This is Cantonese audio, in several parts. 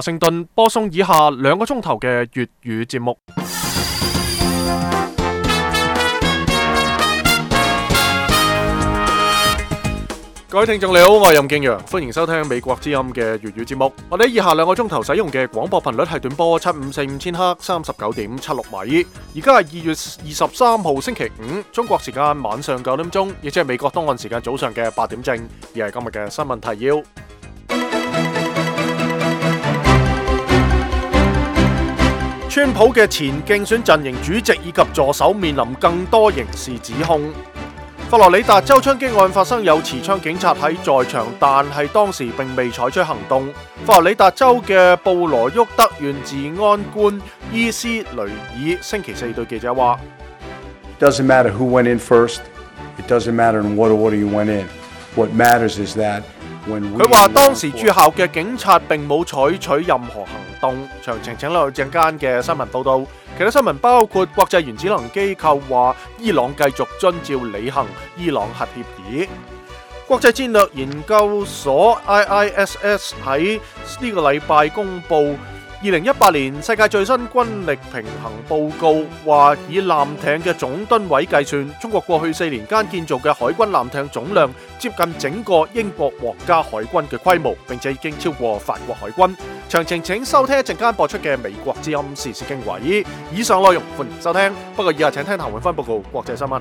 華盛頓播送以下2個鐘頭嘅粵語節目。各位聽眾你好，我係任敬陽，歡迎收聽美國之音嘅粵語節目。我哋以下2個鐘頭使用嘅廣播頻率係短波7545千赫39.76米。而家係2月23號星期五，中國時間晚上9點鐘，亦即係美國東岸時間早上嘅8點正。而係今日嘅新聞提要。川普嘅前競選陣營主席以及助手面臨更多刑事指控。佛羅里達州槍擊案發生有持槍警察喺在場，但係當時並未採取行動。佛羅里達州嘅布羅沃德縣治安官伊斯雷爾星期4對記者話 Doesn't matter who went in first. It doesn't matter in what order you went in. What matters is that when we 佢話當時駐校嘅警察並冇採取任何行動。詳情請留意陣間嘅新聞報道。其他新聞包括國際原子能機構話伊朗繼續遵照履行伊朗核協議。國際戰略研究所 IISS 喺呢個禮拜公布2018年世界最新軍力平衡報告，話以艦艇嘅總噸位計算，中國過去4年間建造嘅海軍艦艇總量接近整個英國皇家海軍嘅規模，並且已經超過法國海軍。詳情請收聽一陣間播出嘅美國之音時事經緯。以上內容歡迎收聽，不過以下請聽譚永芬報告國際新聞。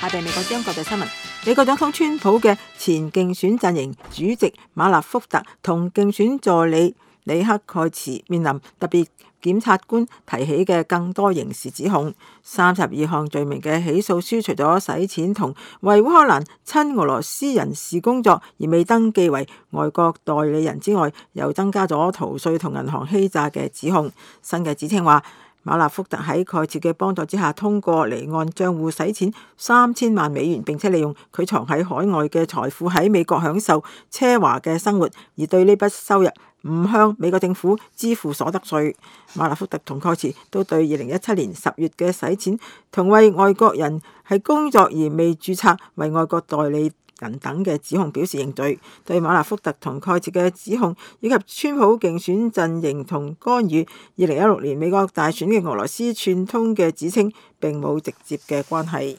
下邊美國之音國際新聞，美國總統川普嘅前競選陣營主席馬納福特同競選助理里克蓋茨面臨特別檢察官提起嘅更多刑事指控，32項罪名嘅起訴書，除咗洗錢同為烏克蘭親俄羅斯人士工作而未登記為外國代理人之外，又增加咗逃稅同銀行欺詐嘅指控。新嘅指稱話，馬納福特喺蓋茨嘅幫助之下，通過離岸帳戶洗錢3000萬美元，並且利用佢藏喺海外嘅財富喺美國享受奢華嘅生活，而對呢筆收入唔向美國政府支付所得稅。馬納福特同蓋茨都對2017年10月嘅洗錢同為外國人係工作而未註冊為外國代理人等嘅指控表示認罪。對馬納福特同蓋茨嘅指控以及川普競選陣營同干預2016年美國大選嘅俄羅斯串通嘅指稱並冇直接嘅關係。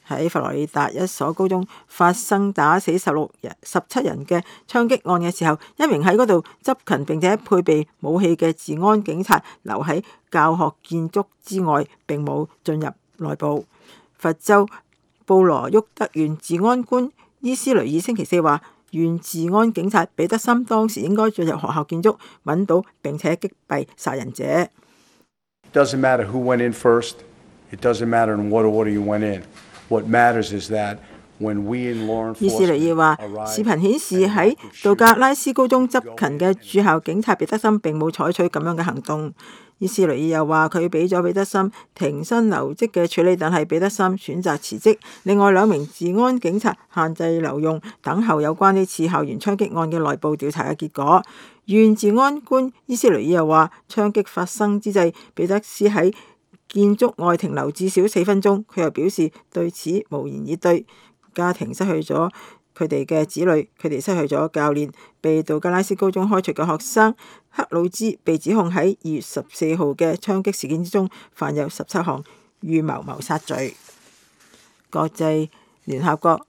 喺佛羅里達一所高中發生打死17人嘅槍擊案嘅時候，一名喺嗰度執勤並且配備武器嘅治安警察留喺教學建築之外，並冇進入內部。佛州布羅沃德縣治安官伊斯雷爾星期4話，縣治安警察彼得森當時應該進入學校建築，揾到並且擊斃殺人者。Doesn't matter who went in first. It doesn't matter in what order you went in. What matters is that when we in law enforcement 伊斯雷爾話，視頻顯示喺杜格拉斯高中執勤嘅駐校警察彼得森並冇採取咁樣嘅行動。伊斯雷爾又話，佢俾咗彼得森停薪留職嘅處理，但係彼得森選擇辭職。另外2名治安警察限制留用，等候有關呢次校園槍擊案嘅內部調查嘅結果。縣治安官伊斯雷爾又話，槍擊發生之際，彼得斯喺建築外停留至少4分鐘。佢又表示對此無言以對。家庭失去咗佢哋嘅子女，佢哋失去咗教練。被杜格拉斯高中開除嘅學生克魯茲被指控喺2月14號嘅槍擊事件之中犯有17項預謀謀殺罪。國際聯合國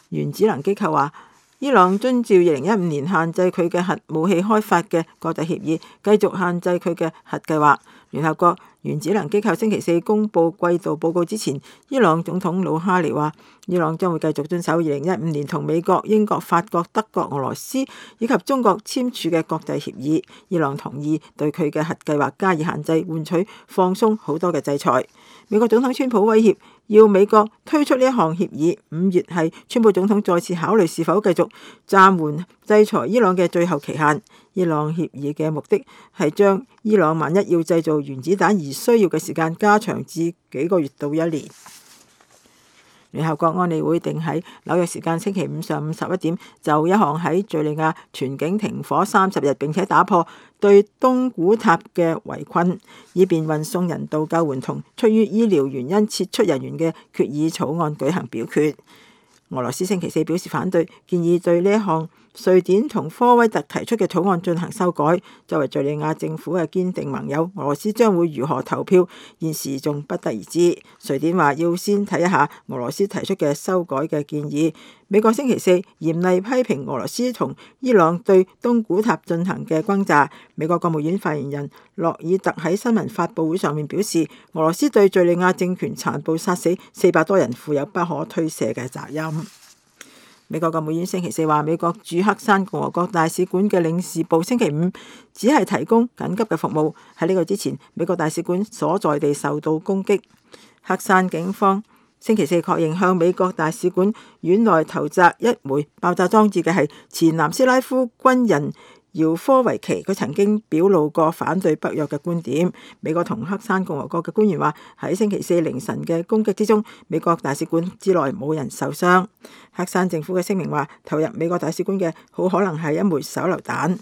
原子能機構話，伊朗遵照2015年限制佢嘅核武器開發嘅國際協議，繼續限制佢嘅核計劃。聯合國原子能機構星期4公佈季度報告之前，伊朗總統魯哈尼話，伊朗將會繼續遵守2015年同美國、英國、法國、德國、俄羅斯以及中國簽署嘅國際協議。伊朗同意對佢嘅核計劃加以限制，換取放鬆好多嘅制裁。美國總統川普威脅要美國推出呢一項協議。5月係川普總統再次考慮是否繼續暫緩制裁伊朗嘅最後期限。伊朗協議嘅目的係將伊朗萬一要製造原子彈而需要嘅時間加長至幾個月到1年。聯合國安理會定喺紐約時間星期五上午11點，就一項喺敘利亞全境停火30日並且打破對東古塔嘅圍困，以便運送人道救援同出於醫療原因撤出人員嘅決議草案舉行表決。俄羅斯星期四表示反對，建議對呢一項瑞典同科威特提出嘅草案進行修改。作為敘利亞政府嘅堅定盟友，俄羅斯將會如何投票，現時仲不得而知。瑞典話要先睇一下俄羅斯提出嘅修改嘅建議。美國星期四嚴厲批評俄羅斯同伊朗對東古塔進行嘅轟炸。美國國務院發言人洛爾特喺新聞發佈會上面表示，俄羅斯對敘利亞政權殘暴殺死400多人負有不可推卸嘅責任。美國國務院星期四話，美國駐黑山共和國大使館嘅領事部星期五只係提供緊急嘅服務。喺呢個之前，美國大使館所在地受到攻擊。黑山警方星期四確認向美國大使館院內投擲一枚爆炸裝置嘅係前南斯拉夫軍人姚科維奇，佢曾經表露過反對北約嘅觀點。美國同黑山共和國嘅官員話，喺星期四凌晨嘅攻擊之中，美國大使館之內冇人受傷。黑山政府嘅聲明話，投入美國大使館嘅好可能係一枚手榴彈。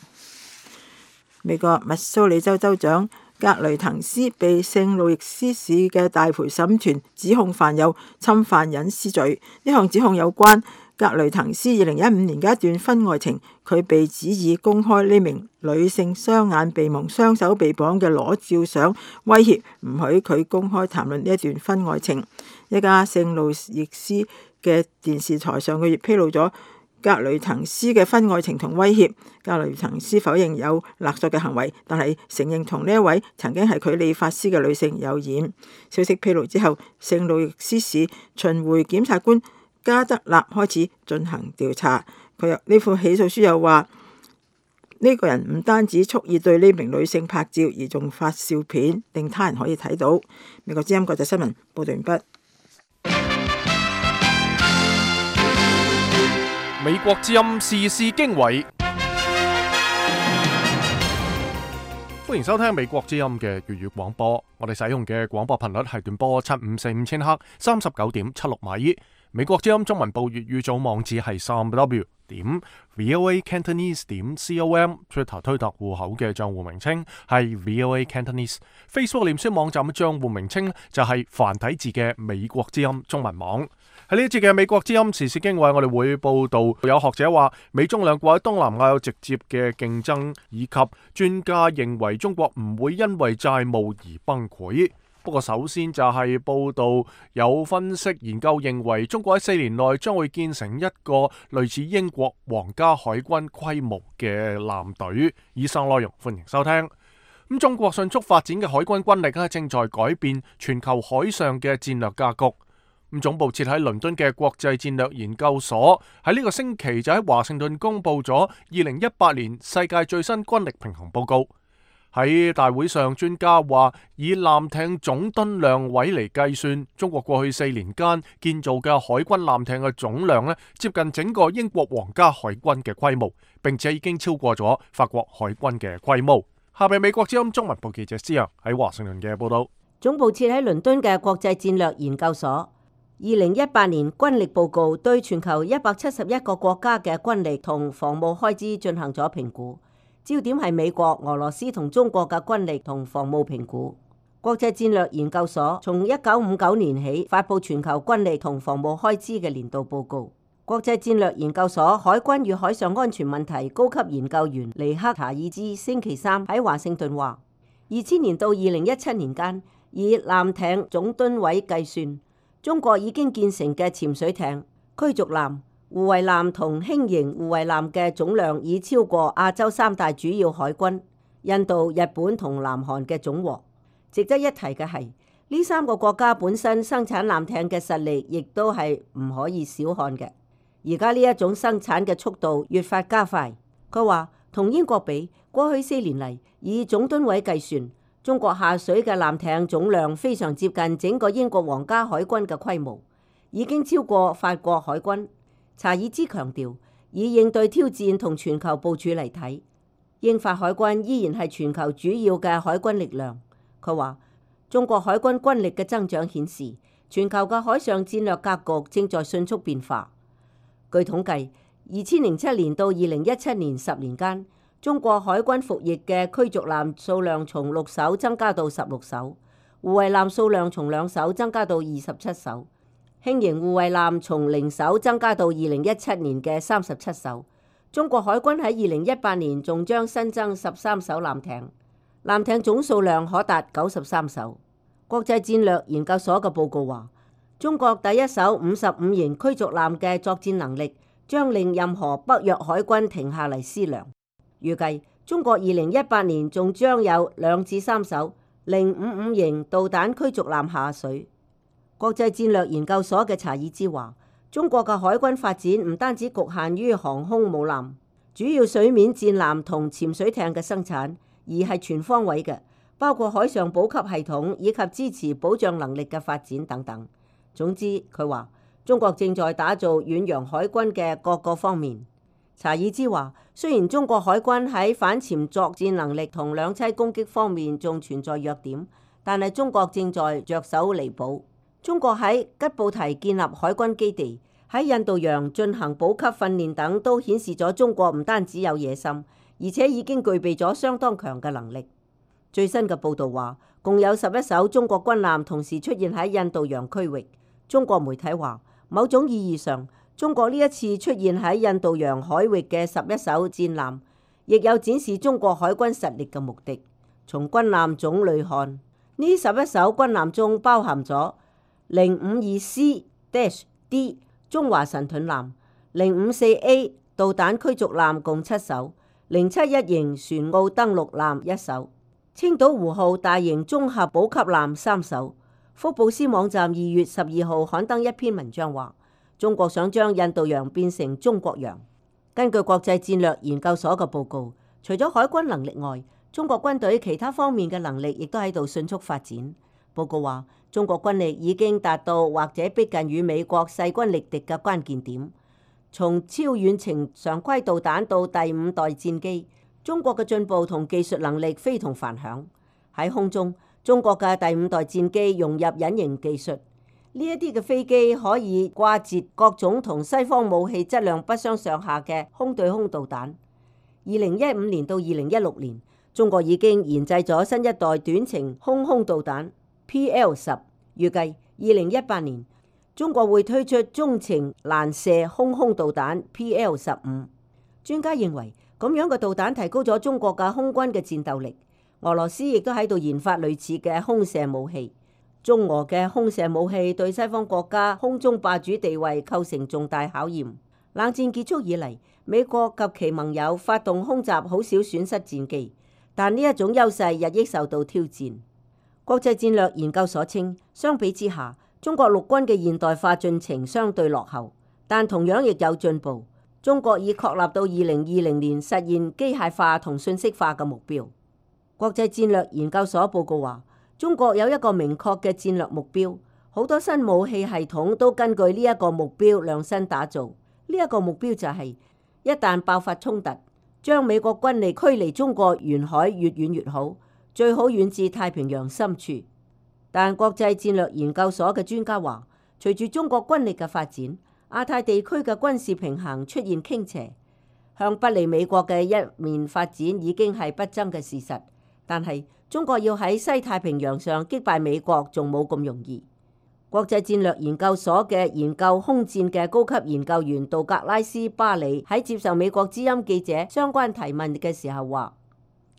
美國密蘇里州州長格雷滕斯被聖路易斯市嘅大陪審團指控犯有侵犯隱私罪。呢項指控有關格雷滕斯2015年嘅一段婚外情，佢被指以公開呢名女性雙眼被蒙、雙手被綁嘅裸照相，威脅唔許佢公開談論呢一段婚外情。一家聖路易斯嘅電視台上個月披露咗格雷滕斯嘅婚外情同威脅。格雷滕斯否認有勒索嘅行為，但係承認同呢一位曾經係佢理髮師嘅女性有染。消息披露之後，聖路易斯市巡迴檢察官加德納開始進行調查。佢呢副起訴書又話，呢個人唔單止蓄意對呢名女性拍照，而仲發照片令他人可以睇到。美國之音國際新聞報道完畢。美國之音時事經緯，歡迎收聽美國之音嘅粵語廣播。我哋使用嘅廣播頻率係短波7545千赫39.76米。美國之音中文部粵語組網址係3w.voacantonese.com，Twitter 推特戶口嘅賬戶名稱係 VOA Cantonese，Facebook 臉書網站嘅賬戶名稱就係繁體字嘅美國之音中文網。喺呢一節嘅美國之音時事經緯，我哋會報道有學者話美中兩國喺東南亞有直接嘅競爭，以及專家認為中國唔會因為債務而崩潰。不過首先就係報道有分析研究認為中國喺4年內將會建成一個類似英國皇家海軍規模嘅艦隊。以上內容歡迎收聽。中國迅速發展嘅海軍軍力正在改變全球海上嘅戰略格局。總部設喺倫敦嘅國際戰略研究所喺呢個星期就喺華盛頓公布咗2018年世界最新軍力平衡報告。喺大會上，專家話以艦艇總噸量位嚟計算，中國過去4年間建造嘅海軍艦艇嘅總量接近整個英國皇家海軍嘅規模，並且已經超過咗法國海軍嘅規模。下邊美國之音中文部記者施洋喺華盛頓嘅報道。總部設喺倫敦嘅國際戰略研究所2018年軍力報告對全球171個國家嘅軍力同防務開支進行咗評估。焦點係美國、俄羅斯同中國嘅軍力同防務評估。國際戰略研究所從1959年起發布全球軍力同防務開支嘅年度報告。國際戰略研究所海軍與海上安全問題高級研究員尼克查爾茲星期三喺華盛頓話，2000年到2017年間，以艦艇總噸位計算，中國已經建成嘅潛水艇、驅逐艦、護衛艦同輕型護衛艦嘅總量已超過亞洲3大主要海軍印度、日本同南韓嘅總和。值得一提嘅係，呢3個國家本身生產艦艇嘅實力亦都係唔可以小看嘅。而家呢一種生產嘅速度越發加快。佢話同英國比，過去4年嚟，以總噸位計算，中國下水嘅艦艇總量非常接近整個英國皇家海軍嘅規模，已經超過法國海軍。查爾茲強調，以應對挑戰同全球部署嚟睇，英法海軍依然係全球主要嘅海軍力量。佢話，中國海軍軍力嘅增長顯示，全球嘅海上戰略格局正在迅速變化。據統計，2007年到2017年10年間，中國海軍服役嘅驅逐艦數量從6艘增加到16艘，護衛艦數量從2艘增加到27艘，輕型護衛艦從0艘增加到2017年嘅37艘。中國海軍喺2018年仲將新增13艘艦艇，艦艇總數量可達93艘。國際戰略研究所嘅報告話，中國第一艘55型驅逐艦嘅作戰能力將令任何北約海軍停下嚟思量。預計中國2018年仲將有2至3艘055型導彈驅逐艦下水。國際戰略研究所嘅查爾茲話，中國嘅海軍發展唔單止局限於航空母艦、主要水面戰艦同潛水艇嘅生產，而係全方位嘅，包括海上補給系統以及支持保障能力嘅發展等等。總之，佢話中國正在打造遠洋海軍嘅各個方面。查爾茲話，雖然中國海軍喺反潛作戰能力同兩棲攻擊方面仲存在弱點，但係中國正在着手彌補。中國喺吉布提建立海軍基地，喺印度洋進行補給訓練等，都顯示咗中國唔單止有野心，而且已經具備咗相當強嘅能力。最新嘅報導話，共有11艘中國軍艦同時出現喺印度洋區域。中國媒體話，某種意義上，中國呢一次出現喺印度洋海域嘅11艘戰艦，亦有展示中國海軍實力嘅目的。從軍艦種類看，呢11艘軍艦中包含咗052C-D 中華神盾艦、054A 導彈驅逐艦共7艘、071型船澳登陸艦1艘、青島湖號大型綜合補給艦3艘。福布斯網站2月12號刊登一篇文章話，中國想將印度洋變成中國洋。根據國際戰略研究所嘅報告，除咗海軍能力外，中國軍隊其他方面嘅能力亦都喺度迅速發展。報告話，中國軍力已經達到或者逼近與美國勢均力敵嘅關鍵點。從超遠程常規導彈到第5代戰機，中國嘅進步同技術能力非同凡響。喺空中，中國嘅第5代戰機融入隱形技術，呢一啲嘅飛機可以掛截各種同西方武器質量不相上下嘅空對空導彈。2015年到2016年，中國已經研製咗新一代短程空導彈 PL10，預計2018年中國會推出中程攔射空導彈 PL15。專家認為，咁樣嘅導彈提高咗中國嘅空軍嘅戰鬥力。俄羅斯亦都喺度研發類似嘅空射武器。中俄嘅空射武器對西方國家空中霸主地位構成重大考驗。冷戰結束以嚟，美國及其盟友發動空襲，好少損失戰機，但呢一種優勢日益受到挑戰。國際戰略研究所稱，相比之下，中國陸軍嘅現代化進程相對落後，但同樣亦有進步。中國已確立到2020年實現機械化同信息化嘅目標。國際戰略研究所報告話，中國有一個明確嘅戰略目標，好多新武器系統都根據呢一個目標量身打造。呢一個目標就係，一旦爆發衝突，將美國軍力驅離中國沿海越遠越好，最好遠至太平洋深處。但國際戰略研究所嘅專家話，隨住中國軍力嘅發展，亞太地區嘅軍事平衡出現傾斜，向不利美國嘅一面發展已經係不爭嘅事實。但係中國要喺西太平洋上擊敗美國仲冇咁容易。國際戰略研究所嘅研究空戰嘅高級研究員道格拉斯巴里喺接受美國之音記者相關提問嘅時候話，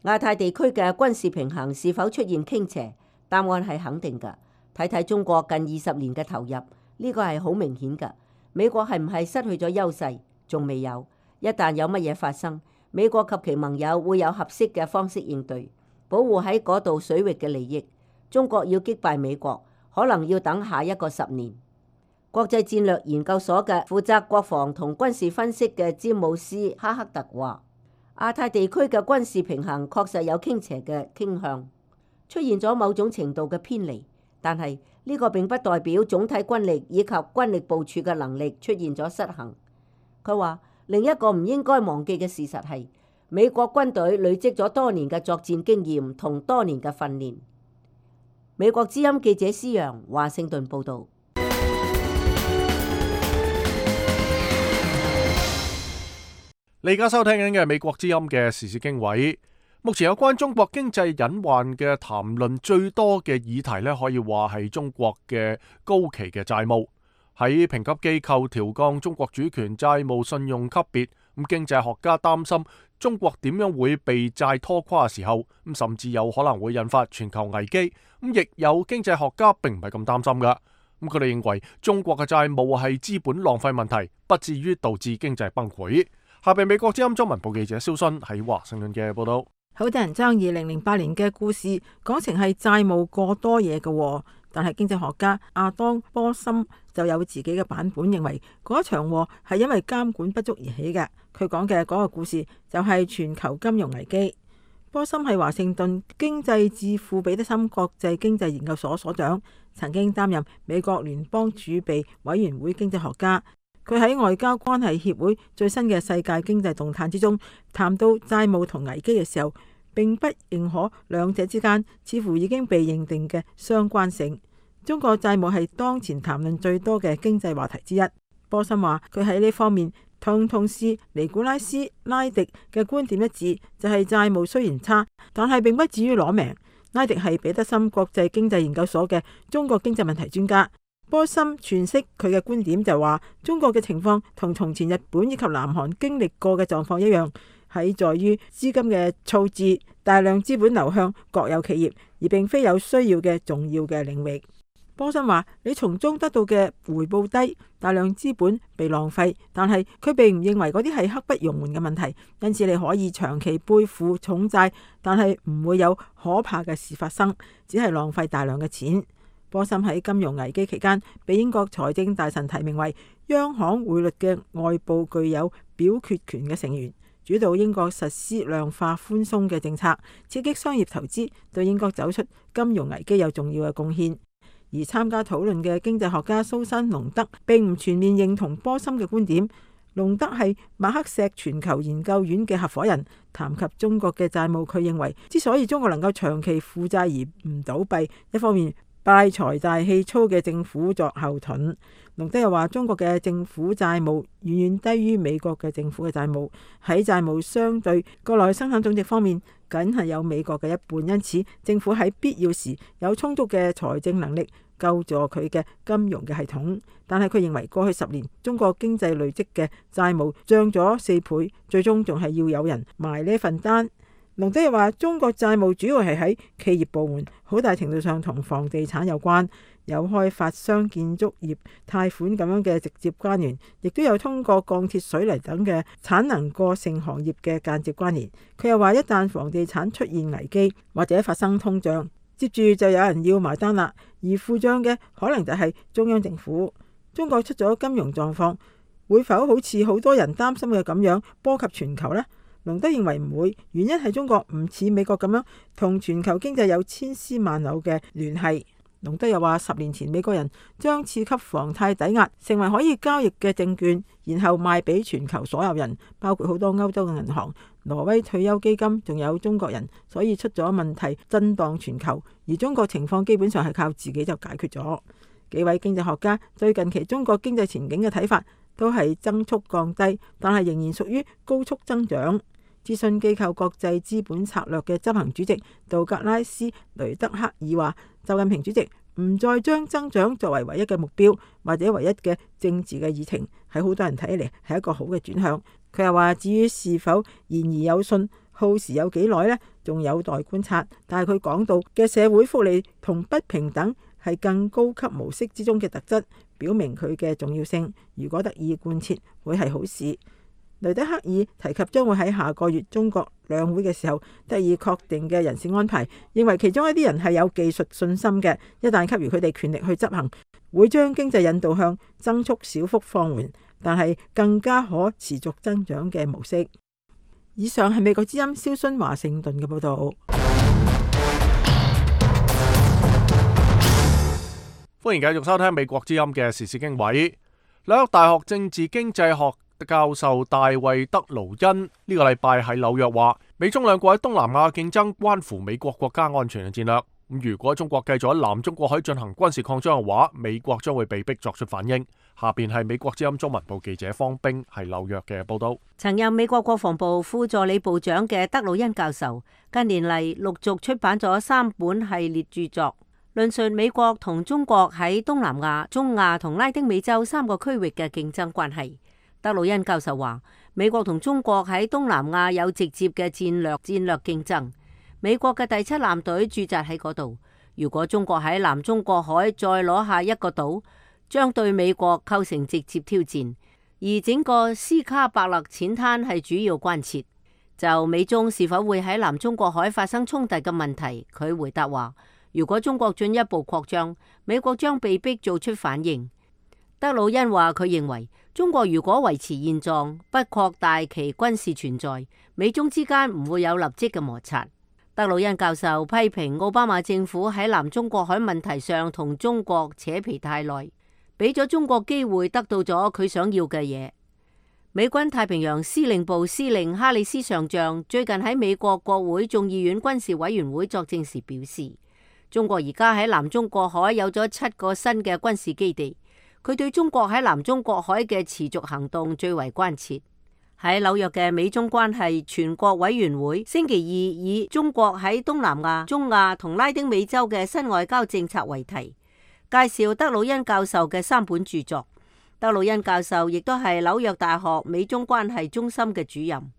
亞太地區嘅軍事平衡是否出現傾斜？答案係肯定㗎。睇睇中國近20年嘅投入，呢個係好明顯㗎。美國係唔係失去咗優勢？仲未有。一旦有乜嘢發生，美國及其盟友會有合適嘅方式應對，保護喺嗰度水域嘅利益。中國要擊敗美國，可能要等下一個10年。國際戰略研究所嘅負責國防同軍事分析嘅詹姆斯哈克特話，亞太地區嘅軍事平衡確實有傾斜嘅傾向，出現咗某種程度嘅偏離，但係呢個並不代表總體軍力以及軍力部署嘅能力出現咗失衡。佢話，另一個唔應該忘記嘅事實係，美國軍隊累積咗多年嘅作戰經驗同多年嘅訓練。美國之音記者施揚華盛頓報導。你而家收聽緊嘅係美國之音嘅時事經緯。目前有關中國經濟隱患嘅談論最多嘅議題呢，可以話係中國嘅高企嘅債務。喺評級機構調降中國主權債務信用級別，經濟學家擔心中國點樣會被債拖垮嘅時候，甚至有可能會引發全球危機。亦有經濟學家並唔係咁擔心㗎。佢哋認為中國嘅債務係資本浪費問題，不至於導致經濟崩潰。下邊美國之音中文部記者蕭순喺華盛頓嘅報道。好多人將2008年嘅故事講成係債務過多嘢嘅，但係經濟學家亞當波森就有自己嘅版本，認為嗰場禍係因為監管不足而起嘅。佢講嘅嗰個故事就係全球金融危機。波森係華盛頓經濟智庫彼得森國際經濟研究所所長，曾經擔任美國聯邦儲備委員會經濟學家。佢喺外交關係協會最新嘅世界經濟動態之中談到債務同危機嘅時候，並不認可兩者之間似乎已經被認定嘅相關性。中國債務係當前談論最多嘅經濟話題之一。波森話佢喺呢方面同事尼古拉斯拉迪嘅觀點一致，就係債務雖然差，但係並不至於攞命。拉迪係彼得森國際經濟研究所嘅中國經濟問題專家。波森詮釋佢嘅觀點就話，中國嘅情況同從前日本以及南韓經歷過嘅狀況一樣，係在於資金嘅措置，大量資本流向國有企業，而並非有需要嘅重要嘅領域。波森話，你從中得到嘅回報低，大量資本被浪費，但係佢並唔認為嗰啲係刻不容緩嘅問題，因此你可以長期背負重債，但係唔會有可怕嘅事發生，只係浪費大量嘅錢。波森喺金融危機期間被英國財政大臣提名為央行匯率嘅外部具有表決權嘅成員，主導英國實施量化寬鬆嘅政策，刺激商業投資，對英國走出金融危機有重要嘅貢獻。而參加討論嘅經濟學家蘇珊隆德並唔全面認同波森嘅觀點。隆德係馬克錫全球研究院嘅合夥人，談及中國嘅債務，佢認為之所以中國能夠長期負債而唔倒閉，一方面拜財大氣粗嘅政府作後盾。隆德又話，中國嘅政府債務遠遠低於美國嘅政府嘅債務，喺債務相對國內生產總值方面，僅係有美國嘅一半，因此政府喺必要時有充足嘅財政能力救助佢嘅金融嘅系統。但係佢認為過去10年中國經濟累積嘅債務漲咗4倍，最終仲係要有人埋呢份單。隆德又話，中國債務主要係喺企業部門，好大程度上同房地產有關，有開發商、建築業貸款咁樣嘅直接關聯，亦都有通過鋼鐵、水泥等嘅產能過剩行業嘅間接關聯。佢又話，一旦房地產出現危機或者發生通脹，接住就有人要埋單啦，而付賬嘅可能就係中央政府。中國出咗金融狀況，會否好似好多人擔心嘅咁樣波及全球呢？隆德認為唔會，原因係中國唔似美國咁樣同全球經濟有千絲萬縷嘅聯繫。隆德又話，10年前美國人將次級房貸抵押成為可以交易嘅證券，然後賣俾全球所有人，包括好多歐洲嘅銀行、挪威退休基金，仲有中國人，所以出咗問題震盪全球。而中國情況基本上係靠自己就解決咗。幾位經濟學家對近期中國經濟前景嘅睇法都係增速降低，但係仍然屬於高速增長。諮詢機構國際資本策略嘅執行主席道格拉斯雷德克爾話，習近平主席唔再將增長作為唯一嘅目標或者唯一嘅政治嘅議程，喺好多人睇嚟係一個好嘅轉向。佢又話，至於是否言而有信，耗時有幾耐呢？仲有待觀察。但係佢講到嘅社會福利同不平等係更高級模式之中嘅特質，表明佢嘅重要性。如果得以貫徹，會係好事。雷德克爾提及將會喺下個月中國兩會嘅時候得以確定嘅人事安排，認為其中一啲人係有技術信心嘅，一旦給予佢哋權力去執行，會將經濟引導向增速小幅放緩，但係更加可持續增長嘅模式。以上係美國之音蕭순華盛頓嘅報道。歡迎繼續收聽美國之音嘅時事經緯。紐約大學政治經濟學教授大衛德勞恩呢個禮拜喺紐約話，美中兩國喺東南亞競爭關乎美國國家安全嘅戰略。如果中國繼續喺南中國海進行軍事擴張嘅話，美國將會被逼作出反應。下邊係美國之音中文部記者方冰係紐約嘅報道。曾任美國國防部副助理部長嘅德魯恩教授，近年嚟陸續出版咗3本系列著作，論述美國同中國喺東南亞、中亞同拉丁美洲3個區域嘅競爭關係。德魯恩教授話，美國同中國喺東南亞有直接嘅戰略競爭。美國嘅第7艦隊駐紮喺嗰度。如果中國喺南中國海再攞下一個島，將對美國構成直接挑戰。而整個斯卡伯勒淺灘係主要關切。就美中是否會喺南中國海發生衝突嘅問題，佢回答話：如果中國進一步擴張，美國將被逼做出反應。德魯恩話佢認為，中國如果維持現狀，不擴大其軍事存在，美中之間唔會有立即嘅摩擦。德魯恩教授批評奧巴馬政府喺南中國海問題上同中國扯皮太耐，俾咗中國機會得到咗佢想要嘅嘢。美軍太平洋司令部司令哈里斯上將最近喺美國國會眾議院軍事委員會作證時表示，中國而家喺南中國海有咗7個新嘅軍事基地，佢對中國喺南中國海嘅持續行動最為關切。喺紐約嘅美中關係全國委員會星期2以中國喺東南亞、中亞同拉丁美洲嘅新外交政策為題，介紹德魯恩教授嘅3本著作。德魯恩教授亦都係紐約大學美中關係中心嘅主任。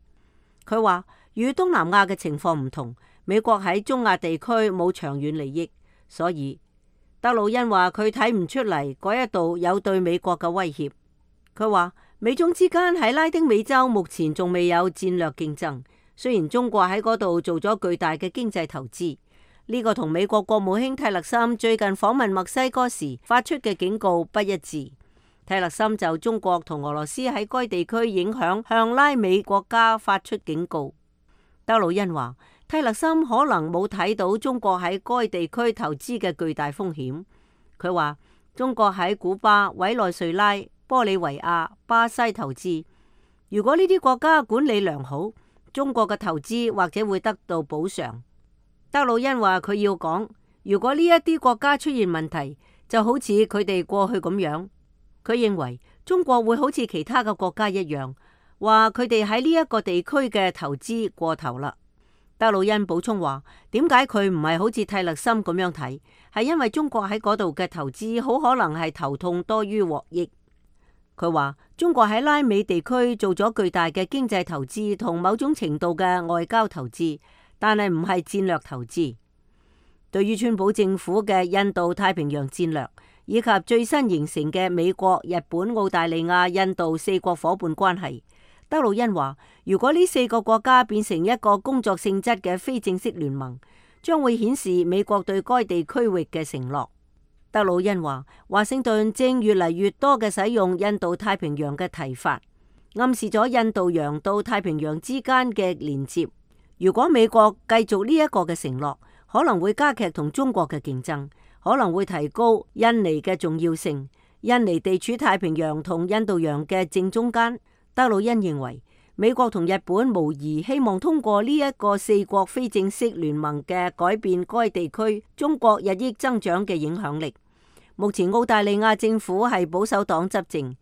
佢話，與東南亞嘅情況唔同，美國喺中亞地區冇長遠利益，所以德魯恩話佢睇唔出嚟嗰一度有對美國嘅威脅。佢話，美中之間喺拉丁美洲目前仲未有戰略競爭，雖然中國喺嗰度做咗巨大嘅經濟投資，呢個同美國國務卿泰勒森最近訪問墨西哥時發出嘅警告不一致。泰勒森就中國同俄羅斯喺該地區影響向拉美國家發出警告。德魯恩話，泰勒森可能冇睇到中國喺該地區投資嘅巨大風險。佢話，中國喺古巴、委內瑞拉、玻利維亞、巴西投資，如果呢啲國家管理良好，中國嘅投資或者會得到補償。德魯恩話佢要講，如果呢一啲國家出現問題，就好似佢哋過去咁樣，佢認為中國會好似其他嘅國家一樣，話佢哋喺呢一個地區嘅投資過頭啦。德魯恩補充話，點解佢唔係好似泰勒森咁樣睇，係因為中國喺嗰度嘅投資好可能係頭痛多於獲益。佢話中國喺拉美地區做咗巨大嘅經濟投資同某種程度嘅外交投資，但係唔係戰略投資。對於川普政府嘅印度太平洋戰略，以及最新形成嘅美國、日本、澳大利亞、印度4國伙伴關係，德魯恩話，如果呢4個國家變成一個工作性質嘅非正式聯盟，將會顯示美國對該地區域嘅承諾。德魯恩話，華盛頓正越嚟越多嘅使用印度太平洋嘅提法，暗示咗印度洋到太平洋之間嘅連接。如果美國繼續呢一個嘅承諾，可能會加劇同中國嘅競爭，可能會提高印尼嘅重要性。印尼地處太平洋同印度洋嘅正中間。德魯恩認為，美國同日本無疑希望通過呢一個4國非正式聯盟嘅改變該地區中國日益增長嘅影響力。目前澳大利亞政府係保守黨執政，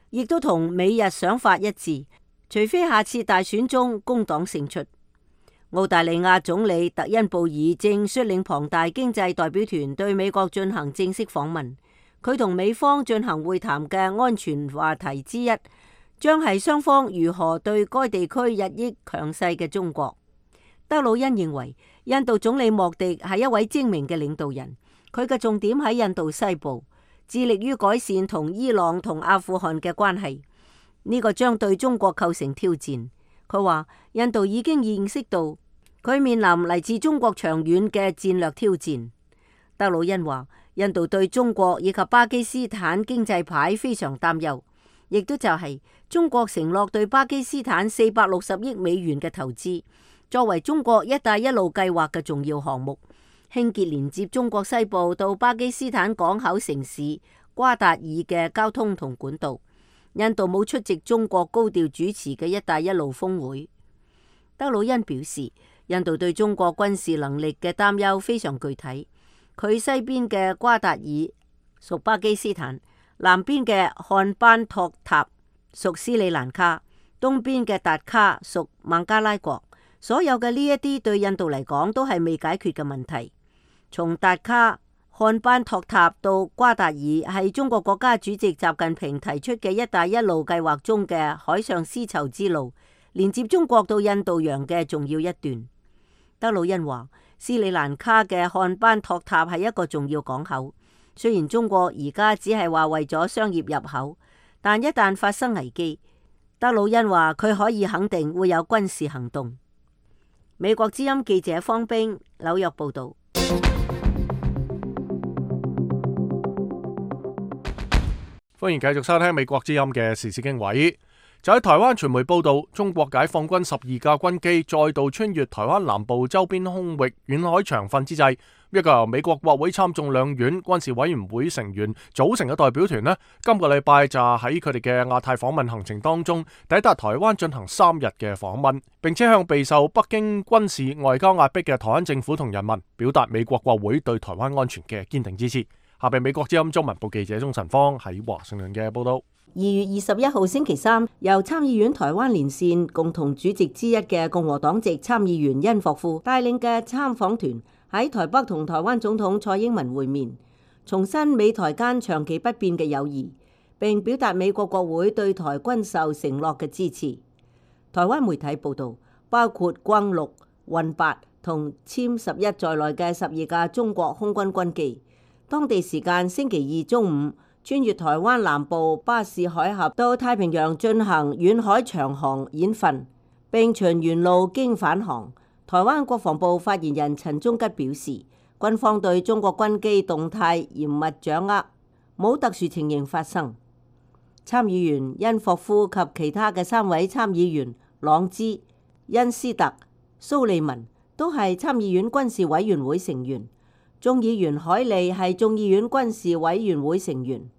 亦都同美日想法一致，除非下次大選中工黨勝出。澳大利亞總理特恩布爾正率領龐大經濟代表團對美國進行正式訪問，佢同美方進行會談嘅安全話題之一，將係雙方如何對該地區日益強勢嘅中國。德魯恩認為，印度總理莫迪係一位精明嘅領導人，佢嘅重點喺印度西部，致力於改善同伊朗同阿富汗嘅關係。呢個將對中國構成挑戰。佢話，印度已經認識到佢面臨嚟自中國長遠嘅戰略挑戰。德魯恩話，印度對中國以及巴基斯坦經濟牌非常擔憂，亦都就係中國承諾對巴基斯坦460億美元嘅投資，作為中國一帶一路計劃嘅重要項目，興建連接中國西部到巴基斯坦港口城市瓜達爾嘅交通同管道。印度冇出席中國高調主持嘅一帶一路峰會。德魯恩表示，印度對中國軍事能力嘅擔憂非常具體，佢西邊嘅瓜達爾屬巴基斯坦，南邊嘅漢班托塔屬斯里蘭卡，東邊嘅達卡屬孟加拉國。所有嘅呢一啲對印度嚟講都係未解決嘅問題。從達卡、漢班托塔到瓜達爾係中國國家主席習近平提出嘅一帶一路計劃中嘅海上絲綢之路，連接中國到印度洋嘅重要一段。德魯恩話，斯里蘭卡嘅漢班托塔係一個重要港口，雖然中國而家只係話為咗商業入口，但一旦發生危機，德魯恩話佢可以肯定會有軍事行動。美國之音記者方冰紐約報道。歡迎繼續收聽美國之音嘅時事經緯。就喺台灣傳媒報道，中國解放軍12架軍機再度穿越台灣南部周邊空域遠海長訓之際，一個由美國國會參眾兩院軍事委員會成員組成嘅代表團呢，今個禮拜就喺佢哋嘅亞太訪問行程當中抵達台灣進行3日嘅訪問，並且向備受北京軍事外交壓迫嘅台灣政府同人民表達美國國會對台灣安全嘅堅定支持。下邊美國之音中文部記者鍾晨芳喺華盛頓嘅報道。2月21號星期三，由參議院台灣連線共同主席之一嘅共和黨籍參議員殷霍夫帶領嘅參訪團喺台北同台灣總統蔡英文會面，重申美台間長期不變嘅友誼，並表達美國國會對台軍售承諾嘅支持。台灣媒體報道，包括轟6、運8同殲11在內嘅12架中國空軍軍機，當地時間星期二中午穿越台灣南部巴士海峽到太平洋進行遠海長航演訓，並循沿路經返航。台灣國防部發言人陳忠吉表示，軍方對中國軍機動態嚴密掌握，冇特殊情形發生。參議員殷霍夫及其他嘅3位參議員朗茲、恩斯特、蘇利文都係參議院軍事委員會成員，眾議員海利係眾議院軍事委員會成員。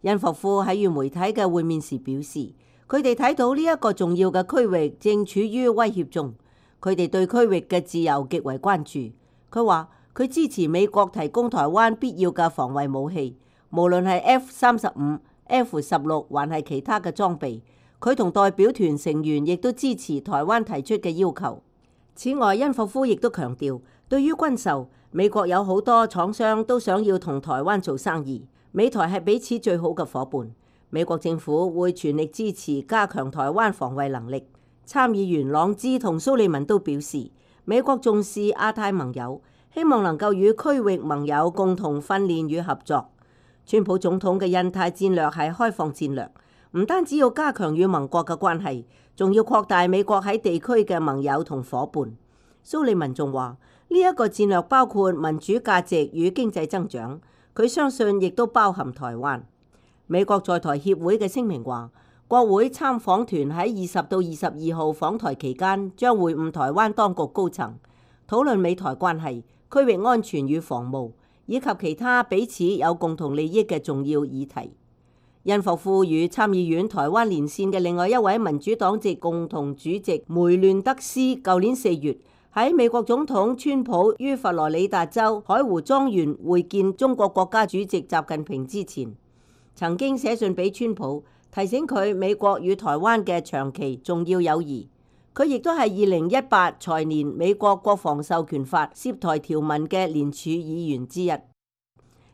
殷霍夫喺與媒體嘅會面時表示，佢哋睇到呢一個重要嘅區域正處於威脅中，佢哋對區域嘅自由極為關注。佢話佢支持美國提供台灣必要嘅防衛武器，無論係 F-35、F-16還係其他嘅裝備。佢同代表團成員亦都支持台灣提出嘅要求。此外，殷霍夫亦都強調，對於軍售，美國有好多廠商都想要同台灣做生意。美台係彼此最好嘅夥伴，美國政府會全力支持加強台灣防衛能力。參議員朗茲同蘇利文都表示，美國重視亞太盟友，希望能夠與區域盟友共同訓練與合作。川普總統嘅印太戰略係開放戰略，唔單止要加強與盟國嘅關係，仲要擴大美國喺地區嘅盟友同夥伴。蘇利文仲話，呢一個戰略包括民主價值與經濟增長。佢相信亦都包含台灣。美國在台協會嘅聲明話，國會參訪團喺20到22號訪台期間，將會晤台灣當局高層，討論美台關係、區域安全與防務，以及其他彼此有共同利益嘅重要議題。殷霍夫與參議院台灣連線嘅另外一位民主黨籍共同主席梅亂德斯，舊年4月，喺美國總統川普於佛羅里達州海湖莊園會見中國國家主席習近平之前，曾經寫信俾川普，提醒佢美國與台灣嘅長期重要友誼。佢亦都係2018財年美國國防授權法涉台條文嘅聯署議員之一。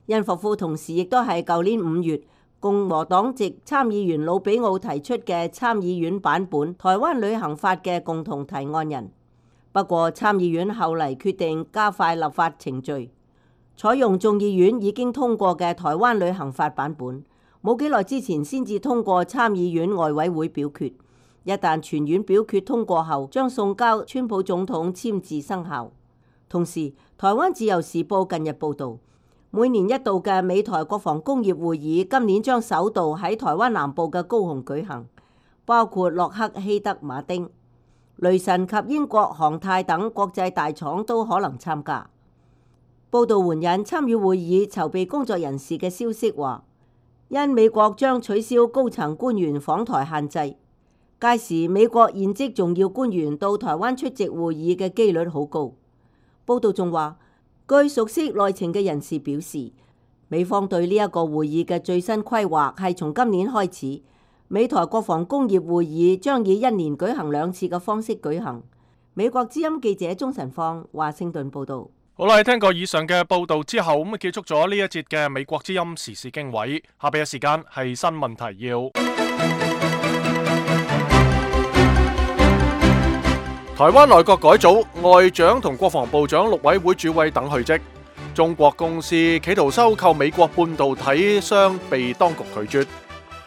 殷霍夫同時亦都係舊年5月共和黨籍參議員魯比奧提出嘅參議院版本台灣旅行法嘅共同提案人。不過參議院後嚟決定加快立法程序，採用眾議院已經通過嘅台灣旅行法版本，冇幾耐之前先至通過參議院外委會表決。一旦全院表決通過後，將送交川普總統簽字生效。同時，台灣自由時報近日報導，每年一度嘅美台國防工業會議今年將首度喺台灣南部嘅高雄舉行，包括洛克希德馬丁、雷神及英國航太等國際大廠都可能參加。報道援引參與會議籌備工作人士嘅消息話，因美國將取消高層官員訪台限制，屆時美國現職重要官員到台灣出席會議嘅機率好高。報道仲話，據熟悉內情嘅人士表示，美方對呢一個會議嘅最新規劃係從今年開始，美台國防工業會議將以1年舉行2次嘅方式舉行。美國之音記者鍾晨放華盛頓報道。好啦，聽過以上嘅報道之後，咁結束咗呢一節嘅美國之音時事經緯。下邊嘅時間係新聞提要。台灣內閣改組，外長同國防部長陸委會主委等去職。中國公司企圖收購美國半導體商被當局拒絕。